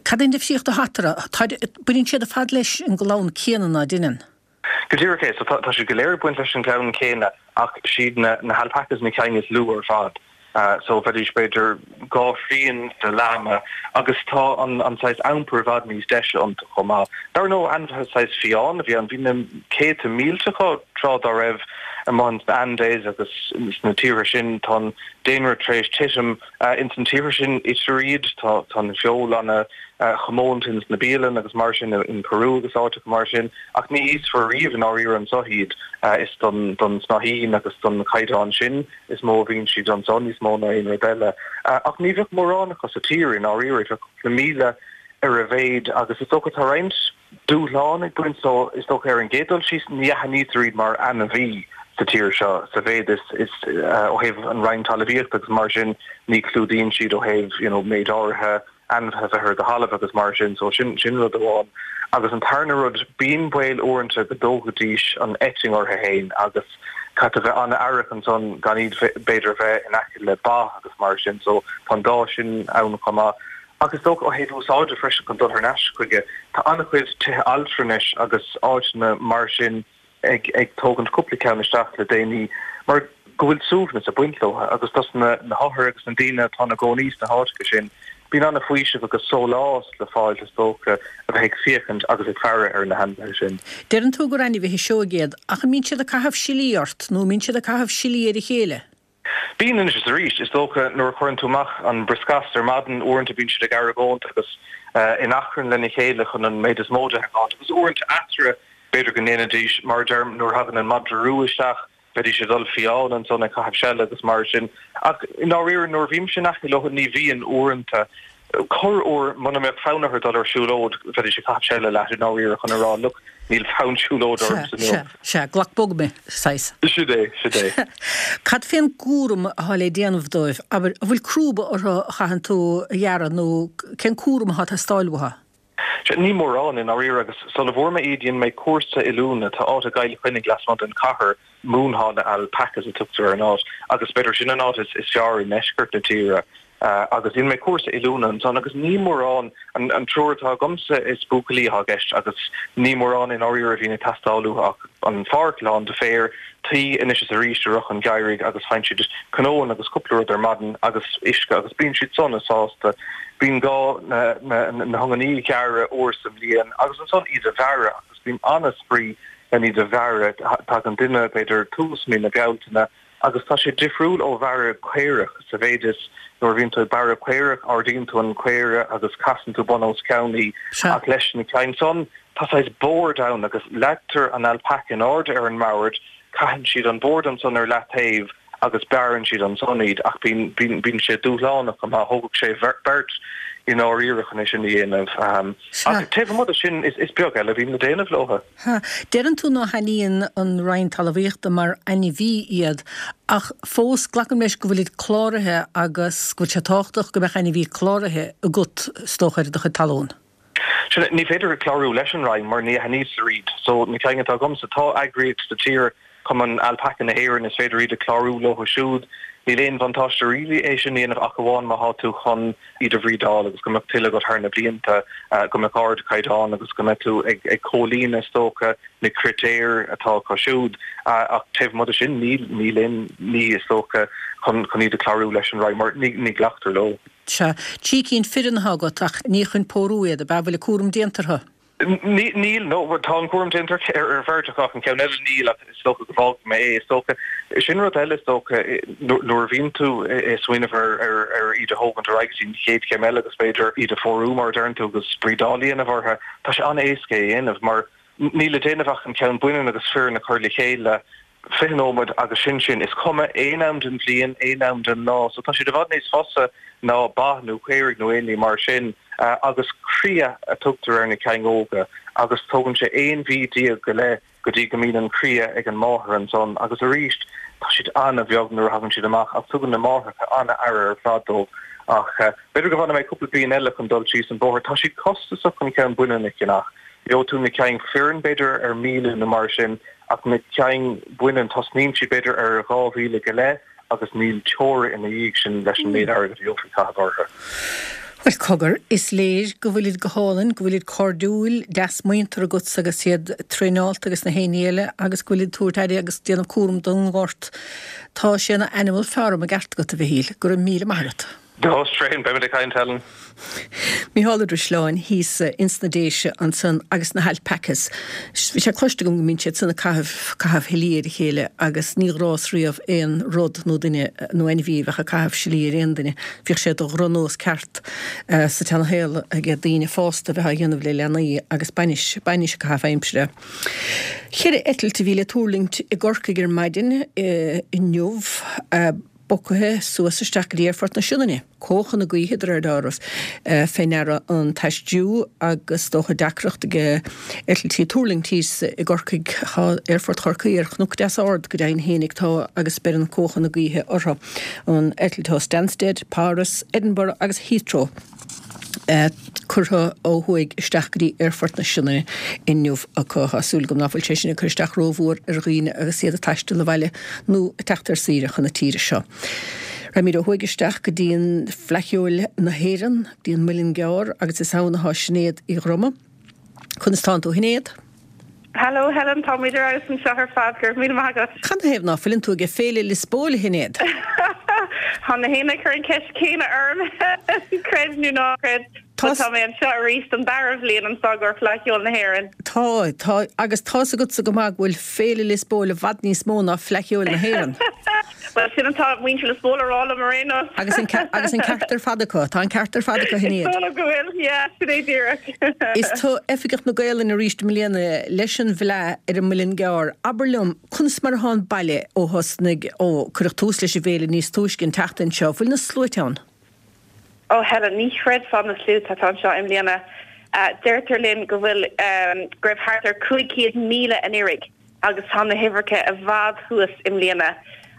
Cad é an difríocht atá eatarthu? Tá, baineann siad ar fad leis an gclann céanna ná deineann? Go díreach é. So tá tá siad go léir ag baint leis an gclann céanna ach siad na na halpacas na cinn is lú ar fad. So bheidís b'fhéidir 2 thrian de llama agus tá an an saghas iompar i bhfad níos deise iontu chomh maith. Dar ndóigh ainmhithe saghas fiáin a bhí ann, bhí na céadta mílte acu tráth dá raibh amuigh ins na Andes agus sna tíortha sin tá an daonra tar éis titim ins na tíortha sin itear iad, tá tá an feoil ana chomónta ins na bialanna agus mar sin in Peru agus áiteacha mar sin ach ní íosfar riamh i ndáiríre anso iad is don don snáithín agus don chaighdeán sin is mó a bhíonn siad anso, níos mó ná aon rud eile. Ach ní bheadh mórán acu sa tír i ndáiríre, bheadh cúpla 1,000 ar a mhéid agus is dócha tá roinnt dúshlán ag baint leo, is dócha ar an gcéad dul síos ní aithnítear iad mar ainmhí sa tír seo sa mhéid is is ó thaobh an Roinn Talmhaíochta agus mar sin ní chlúdaíonn siad ó thaobh you know méid áirithe ainmhithe bheith ar do thalamh agus mar sin, so sin, sin rud amháin. Agus an tarna rud, bíonn baol uaireanta go dtógfaidís an eitinn orthu fhéin agus caithfidh tú bheith an-aireach ansan gan iad b'fhéidir a bheith in aice le ba agus mar sin, so tá an dá sin ann chomh maith. Ach is dócha ó thaobh úsáide freisin chun dul thar n-ais chuige, tá an-chuid tithe altranais agus áiteanna mar sin, ag ag tógaint cúpla ceann isteach le déanaí mar go bhfuil suaimhneas ag baint leo agus dos na na hothair agus na daoine atá ina gcónaí sna háiteacha sin bíonn an-fhaoiseamh agus sólás le fáil is dócha a bheith ag féachaint agus ag faire ar na hainmhithe sin. Deireann tú gur ainmhithe sióg iad, ach an mbíonn siad ag caitheamh silí ort nó an mbíonn siad ag caitheamh silí ar a chéile? Bíonn anois is arís. Is dócha nuair a chuireann tú amach an brioscas ar maidin, uaireanta bíonn siad ag argóint agus in achrann lena chéile chun an méid is mó de a fháilt agus uaireanta eatarthu b'fhéidir go ndéanfaidís, mar a deirim, nuair a thagann an madra rua isteach, bheidís ag dul fiáin ansan ag caitheamh seile agus mar sin. Ach i ndáiríre nuair a bhímse in aice leo ní bhíonn uaireanta. Corruair, muna mbeadh fonn orthu dul ar siúlóid, bheidís ag caitheamh seile leat i ndáiríre chun a rá, look, níl fonn siúlóide ormsa inniu. Sea, sea, glac bog mé, saghas. Sin é, sin é. Cad fén gcúram atá le déanamh dóibh? Abair, an bhfuil crúba orthu a chaitheann tú a ghearradh nó cén cúram atá ag teastáil uathu? Sea, ní mórán i ndáiríre agus sula bhfuair mé iad dhein mé cúrsa oiliúna, tá áit i gCill Chainnigh lasmuigh den chathair, Moonhalla Alpacas a tugtar ar an áit agus b'fhéidir sin an áit is fearr i ndeisceart na tíre. Agus dhein mé cúrsa oiliúna ansan agus ní mórán, an triúr atá agamsa is buachaillí atá i gceist agus ní mórán i ndáiríre a bhíonn ag teastáil uathu ach an pháirc lán de féar, tuí anois is arís i rith an gheimhridh agus faigheann siad cnóanna agus cúpla rud ar maidin agus uisce agus bíonn siad sona sásta. Bíonn gá na hiongannaí a ghearradh uair sa mbliain agus ansan iad a bhearradh agus bíonn an-spraoi len iad a bhearradh. Tagann duine b'fhéidir tús mí na Bealtaine Agus tá sé difriúil ó bhearradh caorach sa mhéid is nuair a bhíonn tú ag bearradh caorach ardaíonn tú an caora agus casann tú bun os cionn í ach leis na cinn san tá saghas bord ann agus leagtar an alpaca in airde ar an mbord, caitheann siad an bord ansan ar leataobh agus bearrann siad ansan iad ach bíonn, bíonn, bíonn sé dúshlánach go maith, thógfadh sé beirt i ndáiríre chun é sin a dhéanamh. Ach taobh amuigh de sin is beag eile a bhíonn le déanamh leo. Ha. Deireann tú ná haithníonn an Roinn Talmhaíochta mar ainmhí iad, ach fós glacaim leis go bhfuilid cláraithe agus go bhfuil sé tábhachtach go mbeadh ainmhí cláraithe agat, is dócha, ar do chuid talún. Sin é. Ní féidir clárú leis an Roinn mar ní aithnítear iad. So na cinn atá agamsa, tá eagraíocht sa tír, Cumann Alpaca na hÉireann, is féidir iad a chlárú leo siúd. Níl aon bhuntáiste really é sin a dhéanamh ach amháin má thá tú chun iad a bhrídeáil agus go mbeadh tuilleadh agat thar na blianta, go mbeadh ardchaighdeán agus go mbeadh tú ag comhlíonadh is dócha na critéir atá acu siúd. Ach taobh amuigh de sin níl, níl aon ní is dócha chun chun iad a chlárú leis an Roinn mar ní ní glactar leo. Sea, 3 cinn fireann atá agat ach ní chun pórú iad, ab ea? Bhfuil an cúram déanta orthu? Níl, no, tá an cúram déanta ar bheirt acu ach an ceann eile níl ach is dócha go bhfágfaidh mé é. Is dócha, sin rud eile is dócha, nuair a bhíonn tú ag smaoineamh ar ar iad a thógaint ar aghaidh go dtí an chéad chéim eile agus b'fhéidir iad a phórú mar a deireann tú agus brídeáil a dhéanamh orthu, tá sé an-éasca é a dhéanamh mar níl le déanamh ach an ceann baineann agus fireann a chur le chéile 20 nóiméad agus sin sin. Is cuma aon am den bhliain, aon am den lá. So tá siad i bhfad níos fusa ná ba nó caoirigh nó aon ní mar sin. Agus cria a tugtar ar na cinn óga agus tógann sé 11 mhí go leith go dtí go mbíonn an cria ag an máthair ansan. Agus arís tá siad an-bheag nuair a thagann siad amach ach tugann na máithreacha an-aire ar fad dóibh. Ach b'fhéidir go bhfanfaidh mé cúpla bliain eile chun dul síos an bóthar. Tá siad costasach an ceann baineann a cheannach. Gheobhaidh tú na cinn fireann b'fhéidir ar 1,000 nó mar sin ach na cinn baineann tosnaíonn siad b'fhéidir ar 2,000 go leith agus níl teora ina dhiaidh sin leis an méid airgid a gheofar caitheamh orthu. Bhuel, cogar, is léir go bhfuilid go hálainn, go bhfuilid cairdiúil, deas muinteartha agatsa agus iad traenáilte agus na haon ní eile agus go bhfuilid ag tabhairt aire agus ag déanamh cúram don ngort. Tá sé ina animal farm i gceart agat, a Mhichíl. Go raibh míle maith agat. Go tréan, beimid ag caint, Helen. Mícheál Ó Drisleáin thíos ins na Déise ansan agus na halpacas. Bhí sé cloiste agam go mbíonn siad san ag caitheamh, caitheamh shlí ar a chéile agus ní ghrás riamh aon rud nó duine nó ainmhí a bheadh ag caitheamh slí ar aon duine. Bhíodh sé de dhrochnós ceart sa tseana-shaol ag daoine fásta a bheith á dhéanamh le leanaí agus bainis, bainis ag caitheamh aimsire. Cheithre eitilt a bhí le tuirlingt i gCorcaigh ar maidin inniu. Bogtha suas isteach go dtí Aerfort na Sionainne. Cuachadh na gaoithe de réir dealraimh fé ndeara an t-aistriú agus is dócha deacracht ag eitiltí tuirlingt thíos i gCorcaigh. Tá Aerfort Chorcaí ar chnoc deas ard go deimhin fhéinig tá agus beireann cuachadh na gaoithe orthu. An eitilt ó Stansted, Páras, Edinburgh agus Heathrow. curtha ó thuaidh isteach go dtí Aerfort na Sionainne inniu acu. Tá súil agam ná fuil sé sin ag cur isteach rómhór ar dhaoine agus iad ag taisteal abhaile nó ag teacht ar saoire chun na tíre seo. Raghaimid ó thuaidh isteach go dtí an Fleadh Cheoil na hÉireann, go dtí an Muileann gCearr agus is ann atá Sinéad Uí Dhroma. Conas tánn tú a Shinéad? Hello Helen, táimid ar fheabhas anseo ar fad, go raibh míle maith agat. Canathaobh ná fuileann tú ag Féile Liospóil, a Shinéad? Tá na héinne ag cur an ceist céanna orm, creid nó ná creid, but tá mé anseo arís don dara bhliain anseo i gcomhair Fleadh Cheoil na hÉireann. Tá, tá, agus tá's agatsa go maith go bhfuil Féile Liospóil i bhfad níos mó ná Fleadh Cheoil na hÉireann. Bhuel, sin atá muintir Liospóil a rá liom ar aon nós. Agus an agus an ceart ar fad acu. Tá an ceart ar fad acu, a Shinéad. Is dóigh liom go bhfuil, yeah, sin é díreach. Is tú Oifigeach na Gaolainne arís i mbliana leis an bhFleadh ar an Muileann gCearr. Abair liom, conas mar atá an baile ó thosnaigh, ó cuireadh tús leis an bhféile níos túisce an tseachtain seo? Bhfuil na sluaite ann? Oh Helen, ní chreidfeá na sluaite atá anseo i mbliana. Deirtear linn go bhfuil, go raibh thart ar 500,000 anuraidh. agus tá na huimhreacha i bhfad thuas i mbliana.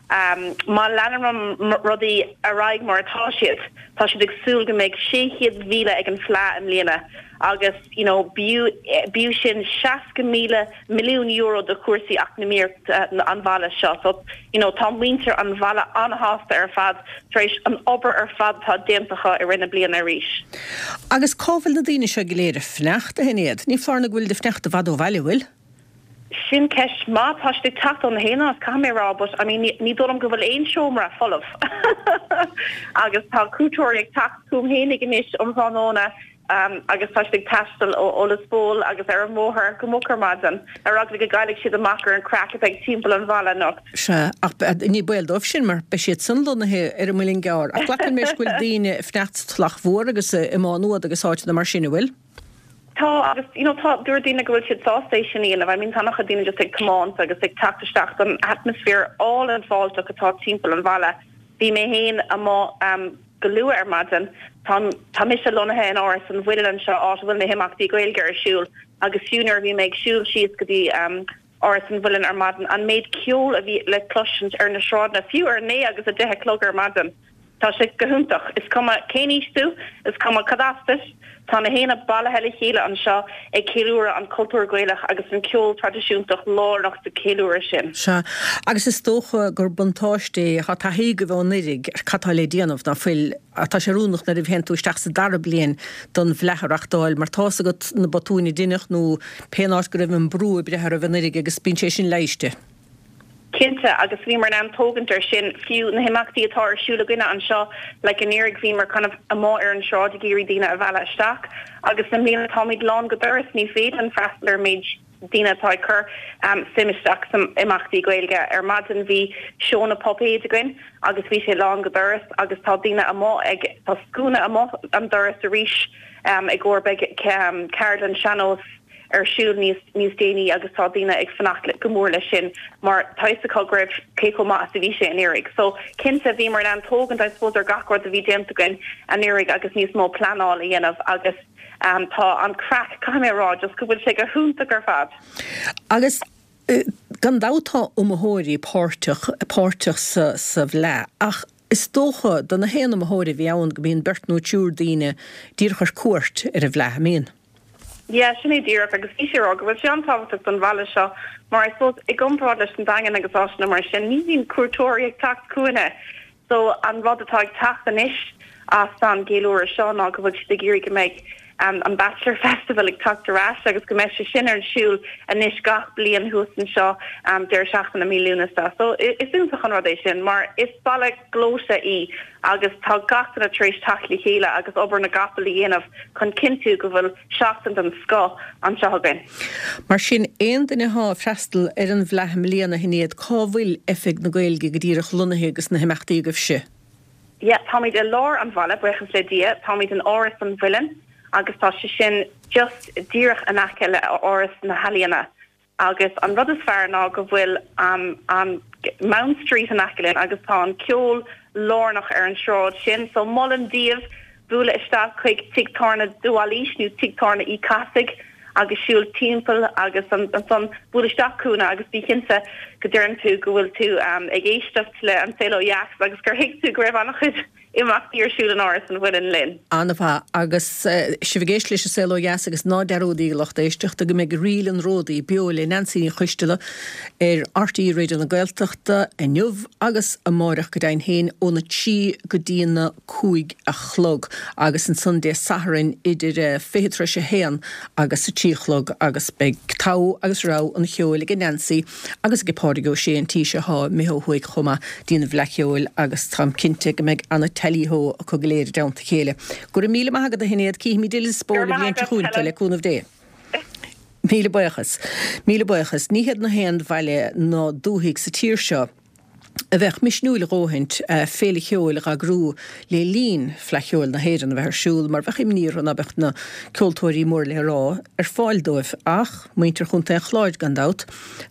Má leanann rudaí ar aghaidh mar atá siad, tá siad ag súil go mbeidh 600,000 ag an Fleadh i mbliana agus you know b'fhiú b'fhiú sin 60,000 milliún euro do chúrsaí eacnamaíochta an bhaile seo. So you know tá muintir an bhaile an-shásta ar fad tar éis an obair ar fad atá déanta acu i rith na bliana arís. Agus cá bhfuil na daoine seo go léir ag fanacht, a Shinéad? Ní foláir nó go bhfuilid ag fanacht i bhfad ó bhaile, bhfuil? Sin ceist maith. Tá siad ag teacht ó na haon áit, caithfidh mé a rá, but I mean ní dóigh liom go bhfuil aon seomra folamh. Agus tá cuairteoirí ag teacht chugam fhéinig anois um thráthnóna agus tá siad ag taisteal ó Lios Póil agus ar an mbóthar go moch ar maidin ar eagla go gcaillfidh siad amach ar an craic atá ag timpeall an bhaile anocht. Sea, ach ní baol dóibh sin mar beidh siad san lonnaithe ar an Muileann gCearr. Ach glacaim leis go bhfuil daoine ag fanacht sa Tulach Mhór agus i Má Nuad agus áiteanna mar sin, an bhfuil? Tá, agus you know tá, dúirt daoine go bhfuil siad sásta é sin a dhéanamh. I mean tá an-chuid daoine just ag tiomáint agus ag teacht isteach don atmaisféar álainn fáilteach atá timpeall an bhaile. Bhí mé féin amuigh um go luath ar maidin. Tá tá mise lonnaithe in Áras an Mhuilinn anseo, áit a bhfuil na himeachtaí Gaeilge ar siúl agus fiú nuair a bhí mé ag siúl síos go dtí um Áras an Mhuilinn ar maidin, an méid ceoil a bhí le cloisint ar na sráideanna, fiú ar 9 agus 10 a chlog ar maidin. Tá sé go hiontach. Is cuma cén aois tú, is cuma cad as duit, tá na héinne bailithe le chéile anseo ag ceiliúradh an cultúr Gaelach agus an ceol traidisiúntach lárnach sa cheiliúradh sin. Sea, agus is dócha gur buntáiste é, tá taithí agaibh ó anuraidh ar cad tá le déanamh, ná fuil? Tá sé oiriúnach nuair a théann tú isteach sa dara bliain don bhFleadh a reachtáil mar tá's agat na botúin a deineadh nó pén áit go raibh an brú ag breith oraibh anuraidh agus bíonn sé sin leighiste. Cinnte, agus bhíomar in ann tógaint ar sin, fiú na himeachtaí atá ar siúl againne anseo, like anuraidh bhíomar kind of amuigh ar an sráid ag iarraidh daoine a mhealladh isteach agus i mbliana táimid lán go doras, ní féidir linn freastal ar an méid daoine atá ag cur suim isteach san imeachtaí Gaeilge. Ar maidin bhí seó na puipéid againn agus bhí sé lán go doras agus tá daoine amuigh ag, tá scuaine amuigh an doras arís i gcomhair beidh ceardlann sean-nós ar siúl níos níos déanaí agus tá daoine ag fanacht go mór leis sin mar tá fhios acu go raibh cé chomh maith is a bhí sé anuraidh. So cinnte bhíomar in ann tógaint I suppose ar gach rud a bhí déanta againn anuraidh agus níos mó pleanáil a dhéanamh agus tá an craic, caithfidh mé a rá, just go bhfuil sé go hiontach ar fad. Agus gan dabht tá iomaitheoirí páirteach páirteach sa sa bhFleadh ach is dócha do na haon iomaitheoir a bhí ann go mbíonn beirt nó triúr daoine díreach ar cuairt ar an bhFleadh, an mbíonn? Yeah, sin é díreach agus bhí sé a rá go bhfuil sé an-tábhachtach don bhaile seo mar I suppose i gcomparáid leis an Daingean agus áiteanna mar sin ní bhíonn cuairteoirí ag teacht chugainne so an rud atá ag teacht anois as an gceiliúradh seo ná go bhfuil siad ag iarraidh go mbeidh an Bachelor Festival ag teacht ar ais agus go mbeidh sé sin ar siúl anois gach bliain thuas anseo deireadh seachtaine mí Lúnasa. So is iontach an rud é sin mar is baile gleoite í agus tá gach duine tar éis teacht le chéile agus obair na gcapall a dhéanamh chun cinntiú go bhfuil seachtain den scoth anseo againn. Mar sin, aon duine atá ag freastal ar an bhFleadh i mbliana, a Shinéad, cá bhfuil Oifig na Gaeilge go díreach lonnaithe agus na himeachtaí agaibhse? Yeah, táimid i lár an bhaile, buíochas le Dia. Táimid in Áras an Mhuilinn agus tá sé sin just díreach in aice le Áras na hEalaíona. Agus an rud is fearr ná go bhfuil an Mount Street in aice linn agus tá an ceol lárnach ar an sráid sin. So molaim daoibh bualadh isteach chuig Tigh Tábhairne de Bhailís nó Tigh Tábhairne Uí Cathasaigh agus siúl timpeall agus ansan buail isteach chugainne agus bí cinnte go deireann tú go bhfuil tú ag éisteacht le An Saol Ó Dheas agus gur thuig tú go raibh an-chuid imeachtaí ar siúl in Áras an Mhuilinn linn. An-mhaith. Agus sibh ag éisteacht leis an Saol Ó Dheas agus ná dearúdaígí a lucht éisteachta go mbeidh Ríl an Ródaí beo le Neansaí Ní Choisteala ar RTÉ Raidió na Gaeltachta inniu agus amáireach go deimhin féin óna 3 go dtína 5 a chlog agus ansan Dé Sathairn idir 20 tar éis a haon agus a 3 a chlog agus beidh togha agus rogha an cheoil ag Neansaí agus ag Pádraig Ó Sé an tí seo thá imithe ó thuaidh chomh maith dtí'n bhFleadh Cheoil agus táim cinnte go mbeidh ana tally-ho acu go léir i dteannta a chéile. Go raibh míle maith agat a Shinéad, cífimid i Lios Póil an bhliain seo chugainn tú, le cúnamh Dé. Míle buíochas. Míle buíochas. Ní hiad na haon bhaile ná dúthaigh sa tír seo a bheadh misniúil a dhóthaint féile cheoil a dh'eagrú le linn Fleadh Cheoil na hÉireann a bheith ar siúl mar bheadh imní orthu ná beadh na ceoltóirí mór le rá ar fáil dóibh. Ach muintir Chontae an Chláir gan dabht,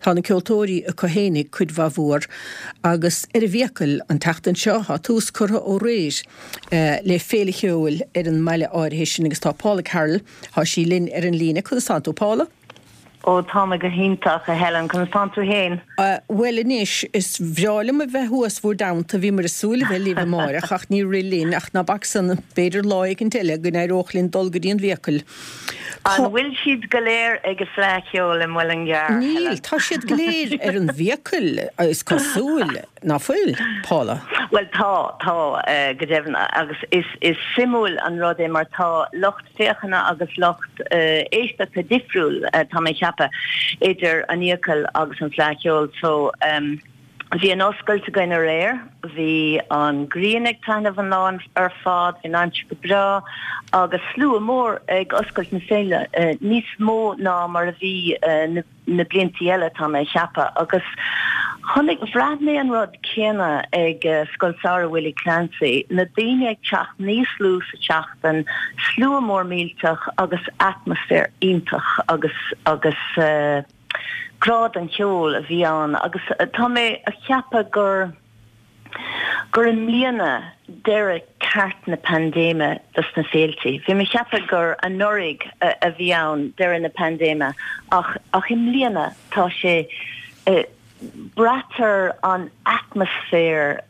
tá na ceoltóirí acu fhéinig cuid mhaith mhór agus ar an bhFiacail an tseachtain seo tá tús curtha ó aréir le féile cheoil ar an mbaile áirithe sin agus tá Paula Carroll, tá sí linn ar an líne. Conas tánn tú Paula? Ó, tá mé go hiontach, a Helen. Conas tánn tú fhéin? Bhuel anois, is bhreá liom a bheith thuas bhur dteannta. Bhíomar ag súil a bheith libh amáireach ach ní rith linn, ach ná bac san, b'fhéidir lá éicint eile go n-éireodh linn dul go dtí an bhFiacail. Tá. An bhfuil siad go léir ag an Fleadh Cheoil i Muileann gCearr, Níl, Helen? tá siad go léir ar an bhFiacail, is cosúil, ná fuil, Paula? Bhuel tá, tá, go deimhin, agus is, is suimiúil an rud é mar tá lucht féachana agus lucht éisteachta difriúil, tá mé ag ceapadh, idir an Fhiacail agus an Fleadh Cheoil. So, bhí an oscailt againn aréir, bhí an ghrian ag taitneamh an lá ar fad, bhí an aimsir go breá agus slua mór ag oscailt na féile, níos mó ná mar a bhí na. na bliantaí eile, tá mé a cheapadh. Agus chonaic, bhraith mé an rud céanna ag Scoil Samhraidh Willie Clancy, na daoine ag teacht níos lú sa tseachtain, slua mór millteach agus atmaisféar iontach agus, agus grá don cheol a bhí ann agus tá mé a cheapadh gur, gur i mbliana deireadh ceart na paindéime dos na féiltí. Bhí mé ag ceapadh gur anuraidh a bhí ann deireadh na paindéime ach ach i mbliana tá sé. Braitear an atmaisféar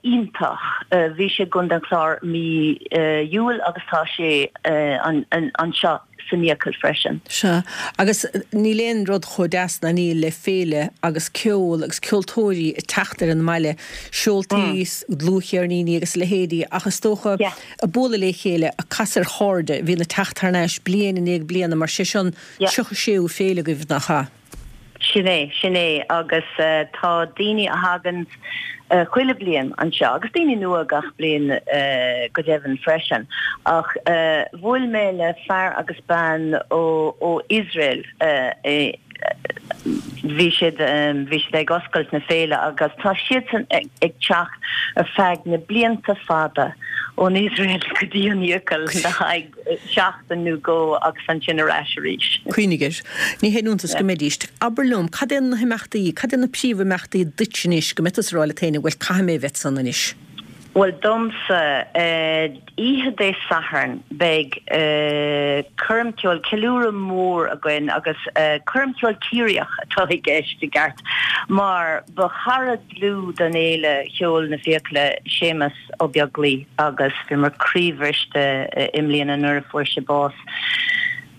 iontach. Bhí sé i gContae an Chláir mí Iúil agus tá sé anseo san Fhiacail freisin. Sea, agus níl aon rud chomh deas ná níl le féile agus ceol agus ceoltóirí ag teacht ar an mbaile, seoltaí, dlúthcheirníní agus a leithéidí ach is dócha ag bualadh le chéile, ag casadh ar chairde a bhíonn ag teacht thar n-ais bliain i ndiaidh bliana mar sé seo an 36ú féile agaibh, nach ea? Sin é, sin é agus tá daoine a thagann chuile bliain anseo agus daoine nua gach bliain go deimhin freisin. Ach bhuail mé le fear agus bean ó ó Iosrael bhí siad bhí siad ag oscailt na féile agus tá siadsan ag teacht ar feadh na blianta fada ón Iosrael go dtí an Fhiacail le haghaidh seachtain nó dhó agus ansin ar ais arís. Cuimhnigh air. Ní haon iontas go mbeidís. Abair liom, cad é na himeachtaí, cad é na príomhimeachtaí duit anois go mbeidh tusa ag rá leat féin, bhuel, caithfidh mé a bheith ansan anois? Bhuel, domsa, oíche Dé Sathairn beidh coirm ceoil, ceiliúradh mór againn agus coirm cheoil Ciarraíoch atá i gceist i gceart mar ba chara dlúth don Fhéile Cheoil na Fiacaile Séamus Ó Beaglaoich agus bhíomar croíbhriste i mbliana nuair a fuair sé bás.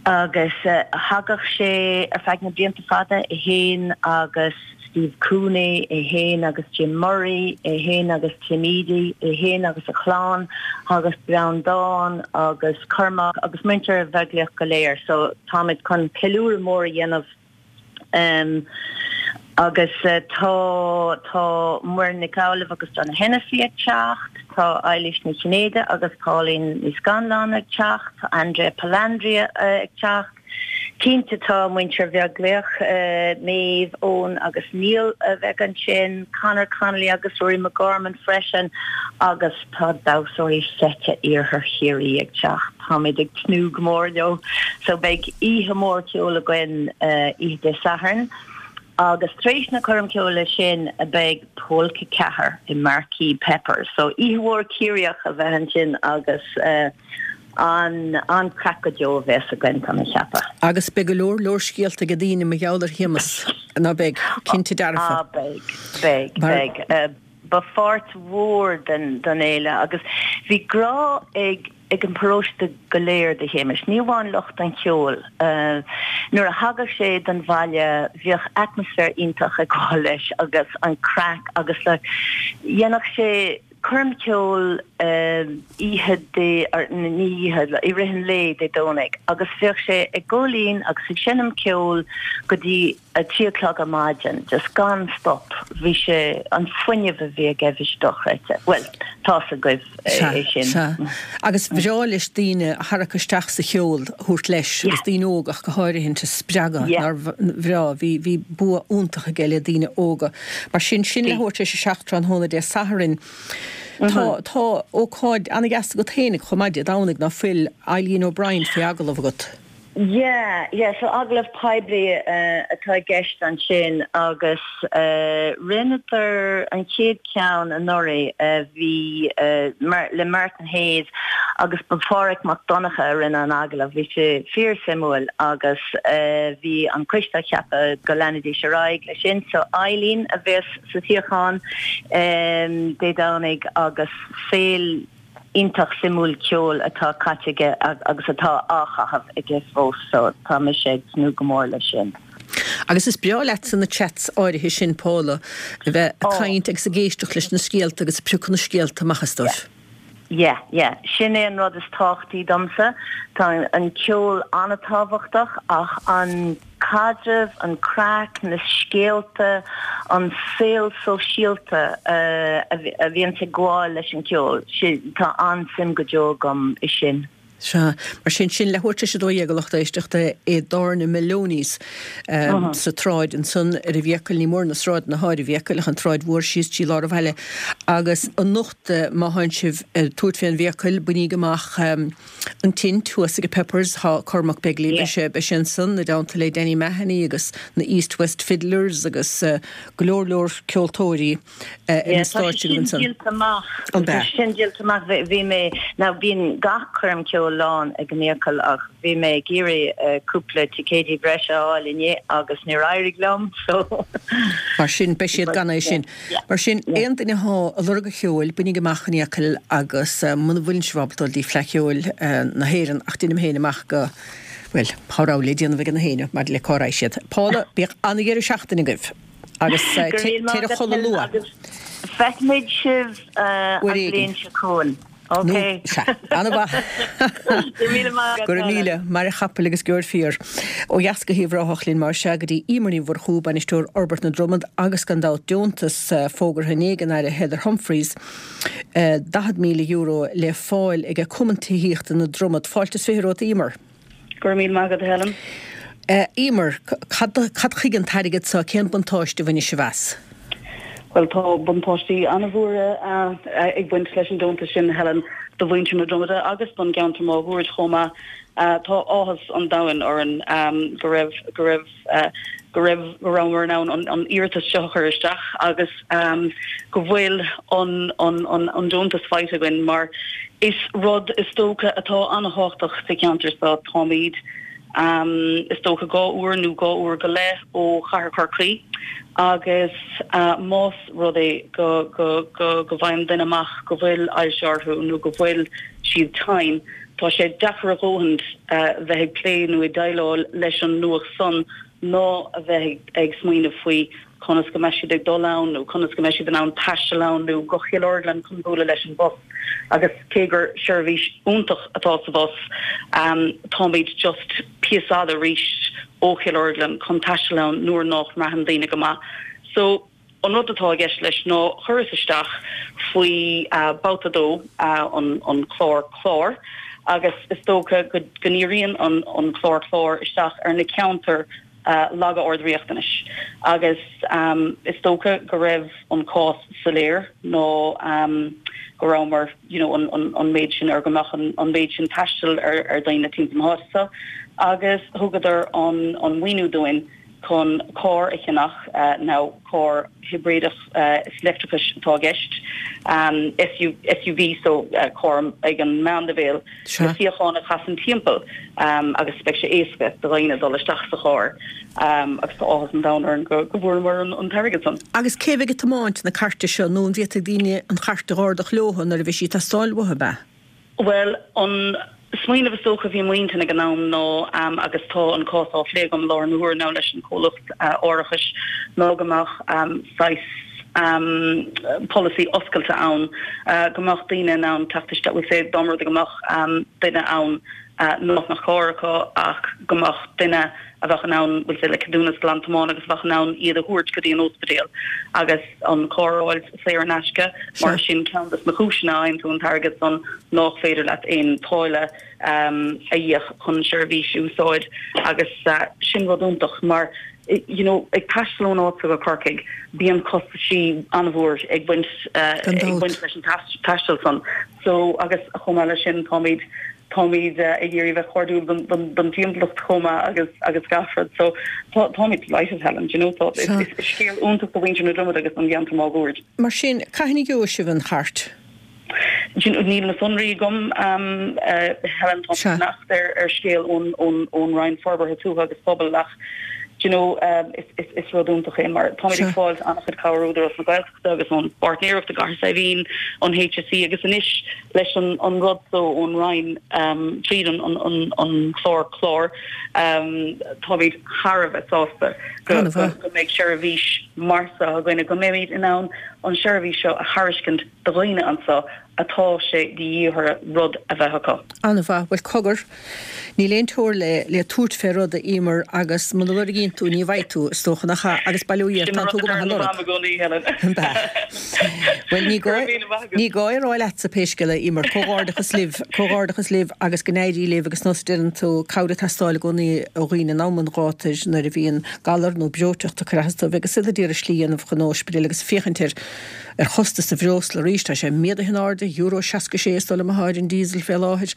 Agus thagadh sé ar feadh na blianta fada, é fhéin agus Steve Cooney, é fhéin agus Jim Murray, é fhéin agus Tim Edey, é fhéin agus a chlann, thagadh Breandán agus Cormac agus muintir Bheaglaoich go léir. So táimid chun ceiliúradh mór a dhéanamh. Agus tá tá Muireann Nic Amhlaoibh agus Donogh Hennessy ag teacht, tá Eilís Ní Chinnéide agus Pauline Ní Scanláin ag teacht, tá Andrea Palandri ag teacht. Cinnte tá muintir Bheaglaoich, Maeve, Eoin agus Niall a bheidh ansin, Conor Connolly agus Rory McGorman freisin agus tá damhsóirí seite Iarthar Chiarraí ag teacht. Táimid ag tnúth go mór leo. So beidh oíche mhór ceoil againn oíche Dé Sathairn agus tar éis na coirm ceoil sin beidh Polca 4 i Marquee Peppers. So oíche mhór Ciarraíoch a bheidh ansin agus an an-craic go deo a bheas againn, tá mé ag ceapadh. Agus beidh go leor leor scéalta ag daoine mar gheall ar Shéamus, ná beidh? Cinnte dearfa. Ah beidh, beidh, beidh. Ba pháirt mhór den fhéile agus bhí grá ag ag an bparóiste go léir do Shéamus, ní amháin lucht an cheoil. Nuair a thagadh sé don bhaile bhíodh atmaisféar iontach ag gabháil leis agus an craic agus like dhéanfadh sé coirm cheoil oíche Dé, ní oíche, i rith an lae Dé Domhnaigh agus bhíodh sé ag gabháil fhoinn agus ag seinm ceoil go dtí 3 o'clock ar maidin, just gan stop, bhí sé, an fuinneamh a bhí aige, bhí sé dochreidte. Bhuel, tá's agaibh é sin. Sea, sea. Agus ba bhreá leis daoine a tharrac isteach sa cheol a thabhairt leis, agus daoine óga ach go háirithint a spreagadh, nár bhreá, bhí, bhí bua iontach aige le daoine óga. Mar sin, sin le leathuair tar éis a 7 tráthnóna Dé Sathairn. Tá, tá ócáid an-dheas agat féinig chomh maith Dé Domhnaigh, ná fuil Eileen O'Brien faoi agallamh agat? Yeah, yeah, so agallamh poiblí atá i gceist ansin agus rinneadar an chéad cheann anuraidh, bhí le Martin Hayes agus ba Phádhraic Mac Donncha a rinne an agallamh, bhí sé fíor suimiúil agus bhí an coiste á cheapadh go leanfaidís ar aghaidh leis sin, so Eileen a bheas sa suíochán Dé Domhnaigh agus saol iontach suimiúil ceoil atá caite aige agus atá á chaitheamh aige fós so tá mise ag tnúth go mór leis sin. Agus is breá leatsa na chats áirithe sin, Paula, a bheith ag caint agus ag éisteacht leis na scéalta agus ag piocadh na scéalta amach astu. Yeah, yeah. Sin é an rud is tábhachtaí domsa. Tá an ceol an-tábhachtach ach an. caidreamh, an craic, na scéalta, an saol sóisialta a bhíonns ag gabháil leis an gceol, tá an-suim go deo agam i sin. Sea. Mar sin, sin leathuair tar éis a 12 a lucht éisteachta i dtábhairne Moloney's sa tsráid ansan ar an bhFiacail, ní mór na sráideanna atá ar an bhFiacail ach an tsráid mhór síos trí lár an bhaile. Agus anocht má thánn sibh ag tabhairt fén bhFiacail, bainíg amach An tint thuas ag Peppers, tá Cormac Begley, beidh sé, beidh sé ansan i dteannta le Danny Mahony agus na East West Fiddlers agus go leor leor ceoltóirí ar an stáitse agaibh ansan. Tá sé sin díolta amach. Tá sé sin díolta amach. Bhí mé, now bíonn gach coirm ceoil. chomh lán ag an Fhiacail ach bhí mé ag iarraidh cúpla ticéidí breise a fháil inné agus níor éirigh liom so. Mar sin, beidh siad gan é sin. Mar sin, aon duine athá ag lorg an cheoil, bainigí amach an Fhiacail agus muna bhfuileann sibh ábalta dul dtí Fleadh Cheoil na hÉireann ach deinim féin amach go, bhuel, tá rogha le déanamh ag na héinne maidir le cá raghaidh siad. Paula, bíodh an-dheireadh seachtaine agaibh agus téir a chodladh luath. Agus feicfimid sibh an bhliain seo chugainn. Ok. Sea. An-mhaith. Go raibh míle maith agat, Go raibh míle. Maire chapaill agus geobhair fíor. Ó dheas go hUíbh Ráthach linn mar sea go dtí Emer Ní Mhurchú, Bainisteoir Fhorbairt na Dromad agus gan dabht deontas fógartha inné ag an Aire Heather Humphreys, €40,000 le fáil ag Cumann Tithíochta na Dromad. Fáilte is 20 romhat Emer. Go raibh míle maith agat, a Helen. Emer, cad, cad chuige an t-airgead seo, cén buntáiste a bhainfidh sibh as? Bhuel, tá buntáistí an-mhóra ag baint leis an deontas sin, Helen, do mhuintir na Dromada agus don gceantar máguaird chomh maith. Tá áthas an domhain orainn go raibh, go raibh, go raibh, go rabhamar in ann an iarratas seo a chur isteach agus go bhfuil an an deontas faighte againn mar is rud is dócha atá an-thábhachtach sa cheantar seo. Táimid is dócha 2 uair nó 2 uair go leith ó chathair Chorcaí agus más rud é go go go go bhfaigheann duine amach go bhfuil ailse orthu nó go bhfuil siad tinn, Tá sé deacair a dhóthaint bheith ag plé nó ag déileáil leis an nuacht san ná a bheith ag smaoineamh faoi conas go mbeidh siad ag dul ann nó conas go mbeidh siad in ann taisteal ann nó go Chill Orglan chun bualadh leis an bhus. Agus cé gur seirbhís iontach atá sa bhus, táimid just píosa fada arís ó Chill Orglan chun taisteal ann nuair nách mbraitheann daoine go maith. So. An rud atá i gceist leis ná chuireas isteach faoi babhta 2 an clár clár agus is dócha go ndíríonn an clár clár isteach ar na ceantair laga ard-riachtanais agus is dócha go raibh an cás soiléir ná go rabhamar you know an méid sin ar go mbeadh an méid sin taistil ar dhaoine timpeall na háite seo agus thugadar an maoiniú dúinn. chun carr a cheannach, now carr hibrideach is leictreachais atá i gceist, SUV so carr ag an meánleibhéal le suíocháin a chasann timpeall agus beidh sé éasca do dhaoine dul isteach sa charr agus tá áthas an domhain orainn go bhfuaireamar an t-airgead san. Agus cé bheidh ag tiomáint na cairte seo nó an bhféadfaidh daoine an chairt a dh'ardach leothu nuair a bheidh sí ag teastáil uathu, ab ea? Bhuel, an smaoineamh is dócha a bhí i m'intinn ag an am ná, agus tá an cás á phlé agam i láthair na huaire now leis an chomhlacht árachais, ná go mbeadh saghas polasaí oscailte ann, go mbeadh daoine in ann teacht isteach, bhuel say dá mba rud é go mbeadh duine ann nach mbeadh carr acu ach go mbeadh duine a bheadh in ann, bhuel say le ceadúnas glan-tiomána agus a bheadh in ann iad a thabhairt go dtí an ospidéal agus an carr a fháil saor in aisce mar sin ceann des na cúiseanna a fhaigheann tú an t-airgead san nách féidir leat aon táille a íoc chun an seirbhís a úsáid agus sin rud iontach mar you know ag taisteal ón áit go Corcaigh bíonn costaisí an-mhór ag baint ag baint leis an taisteal san so agus chomh maith leis sin táimid Táimid ag iarraidh bheith cairdiúil don timpeallacht chomh maith agus agus gach rud. So tá táimid delighted Helen, do you know tá is is scéal iontach do mhuintir na Dromad agus don gceantar máguaird. Mar sin, cathain a gheobhaidh sibh an chairt? Do you know níl na sonraí agam Helen tá mé ag fanacht ar ar scéal ón ón ón Roinn Forbartha Tuaithe agus Pobail ach do you know is is is rud iontach é mar táimid ag fáil an-chuid cabhair ó Údarás na Gaeltachta. agus ón bpáirtnéireacht i gCathair Saidhbhín, an HSE agus anois leis an rud so ón Roinn tríd an chlár clár, táimid thar a bheith sásta go mbeidh seirbhís mar seo againne, go mbeimid in ann an seirbhís seo a thairiscint do dhaoine anseo atá sé de dhíth orthu rud a bheith acu. An-mhaith. Bhuel, cogar, níl aon teoir le le tabhairt fé rud, a Emer, agus muna lorgaíonn tú, ní bhfaighidh tú, is dócha, nach ea? Agus bail ó Dhia ort, tánn tú go maith a lorg. An ea? Bhuel, ní gá, ní gá é a rá leatsa pé scéal é, a Emer. Comhghairdeachas libh, comhghairdeachas libh agus go n-éirí libh agus nós a deireann tú, cabhair ag teastáil i gcónaí ó dhaoine in am an ghátair nuair a bhíonn galar nó breoiteacht ag cur as dóibh agus iad ag iarraidh slí a dhéanamh chun ospidéil agus féachaint air. ar chostas an bhreosla arís. Tá sé méadaithe in airde, euro 66 is dóigh liom atá ar an diesel fé láthair,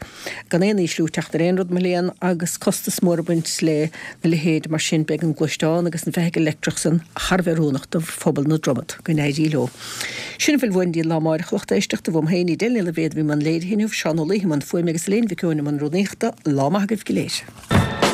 gan aon ísliú ag teacht ar aon rud mo léan agus costas mór ag baint le na leithéid mar sin. Beidh an gluaisteán agus an bhfeithicil leictreach san thar a bheith oiriúnach do phobal na Dromad. Go n-éirí leo. Sin a bhfuil uainn go dtí an lá amáireach a lucht éisteachta. Uaim féin, Edel Ní Loibhéad a bhí i mbun léirithe inniu, Seán Ó Laoithe i mbun fuaime agus Elaine Mhic Eoin i mbun rúnaíochta. Lá maith agaibh go léir.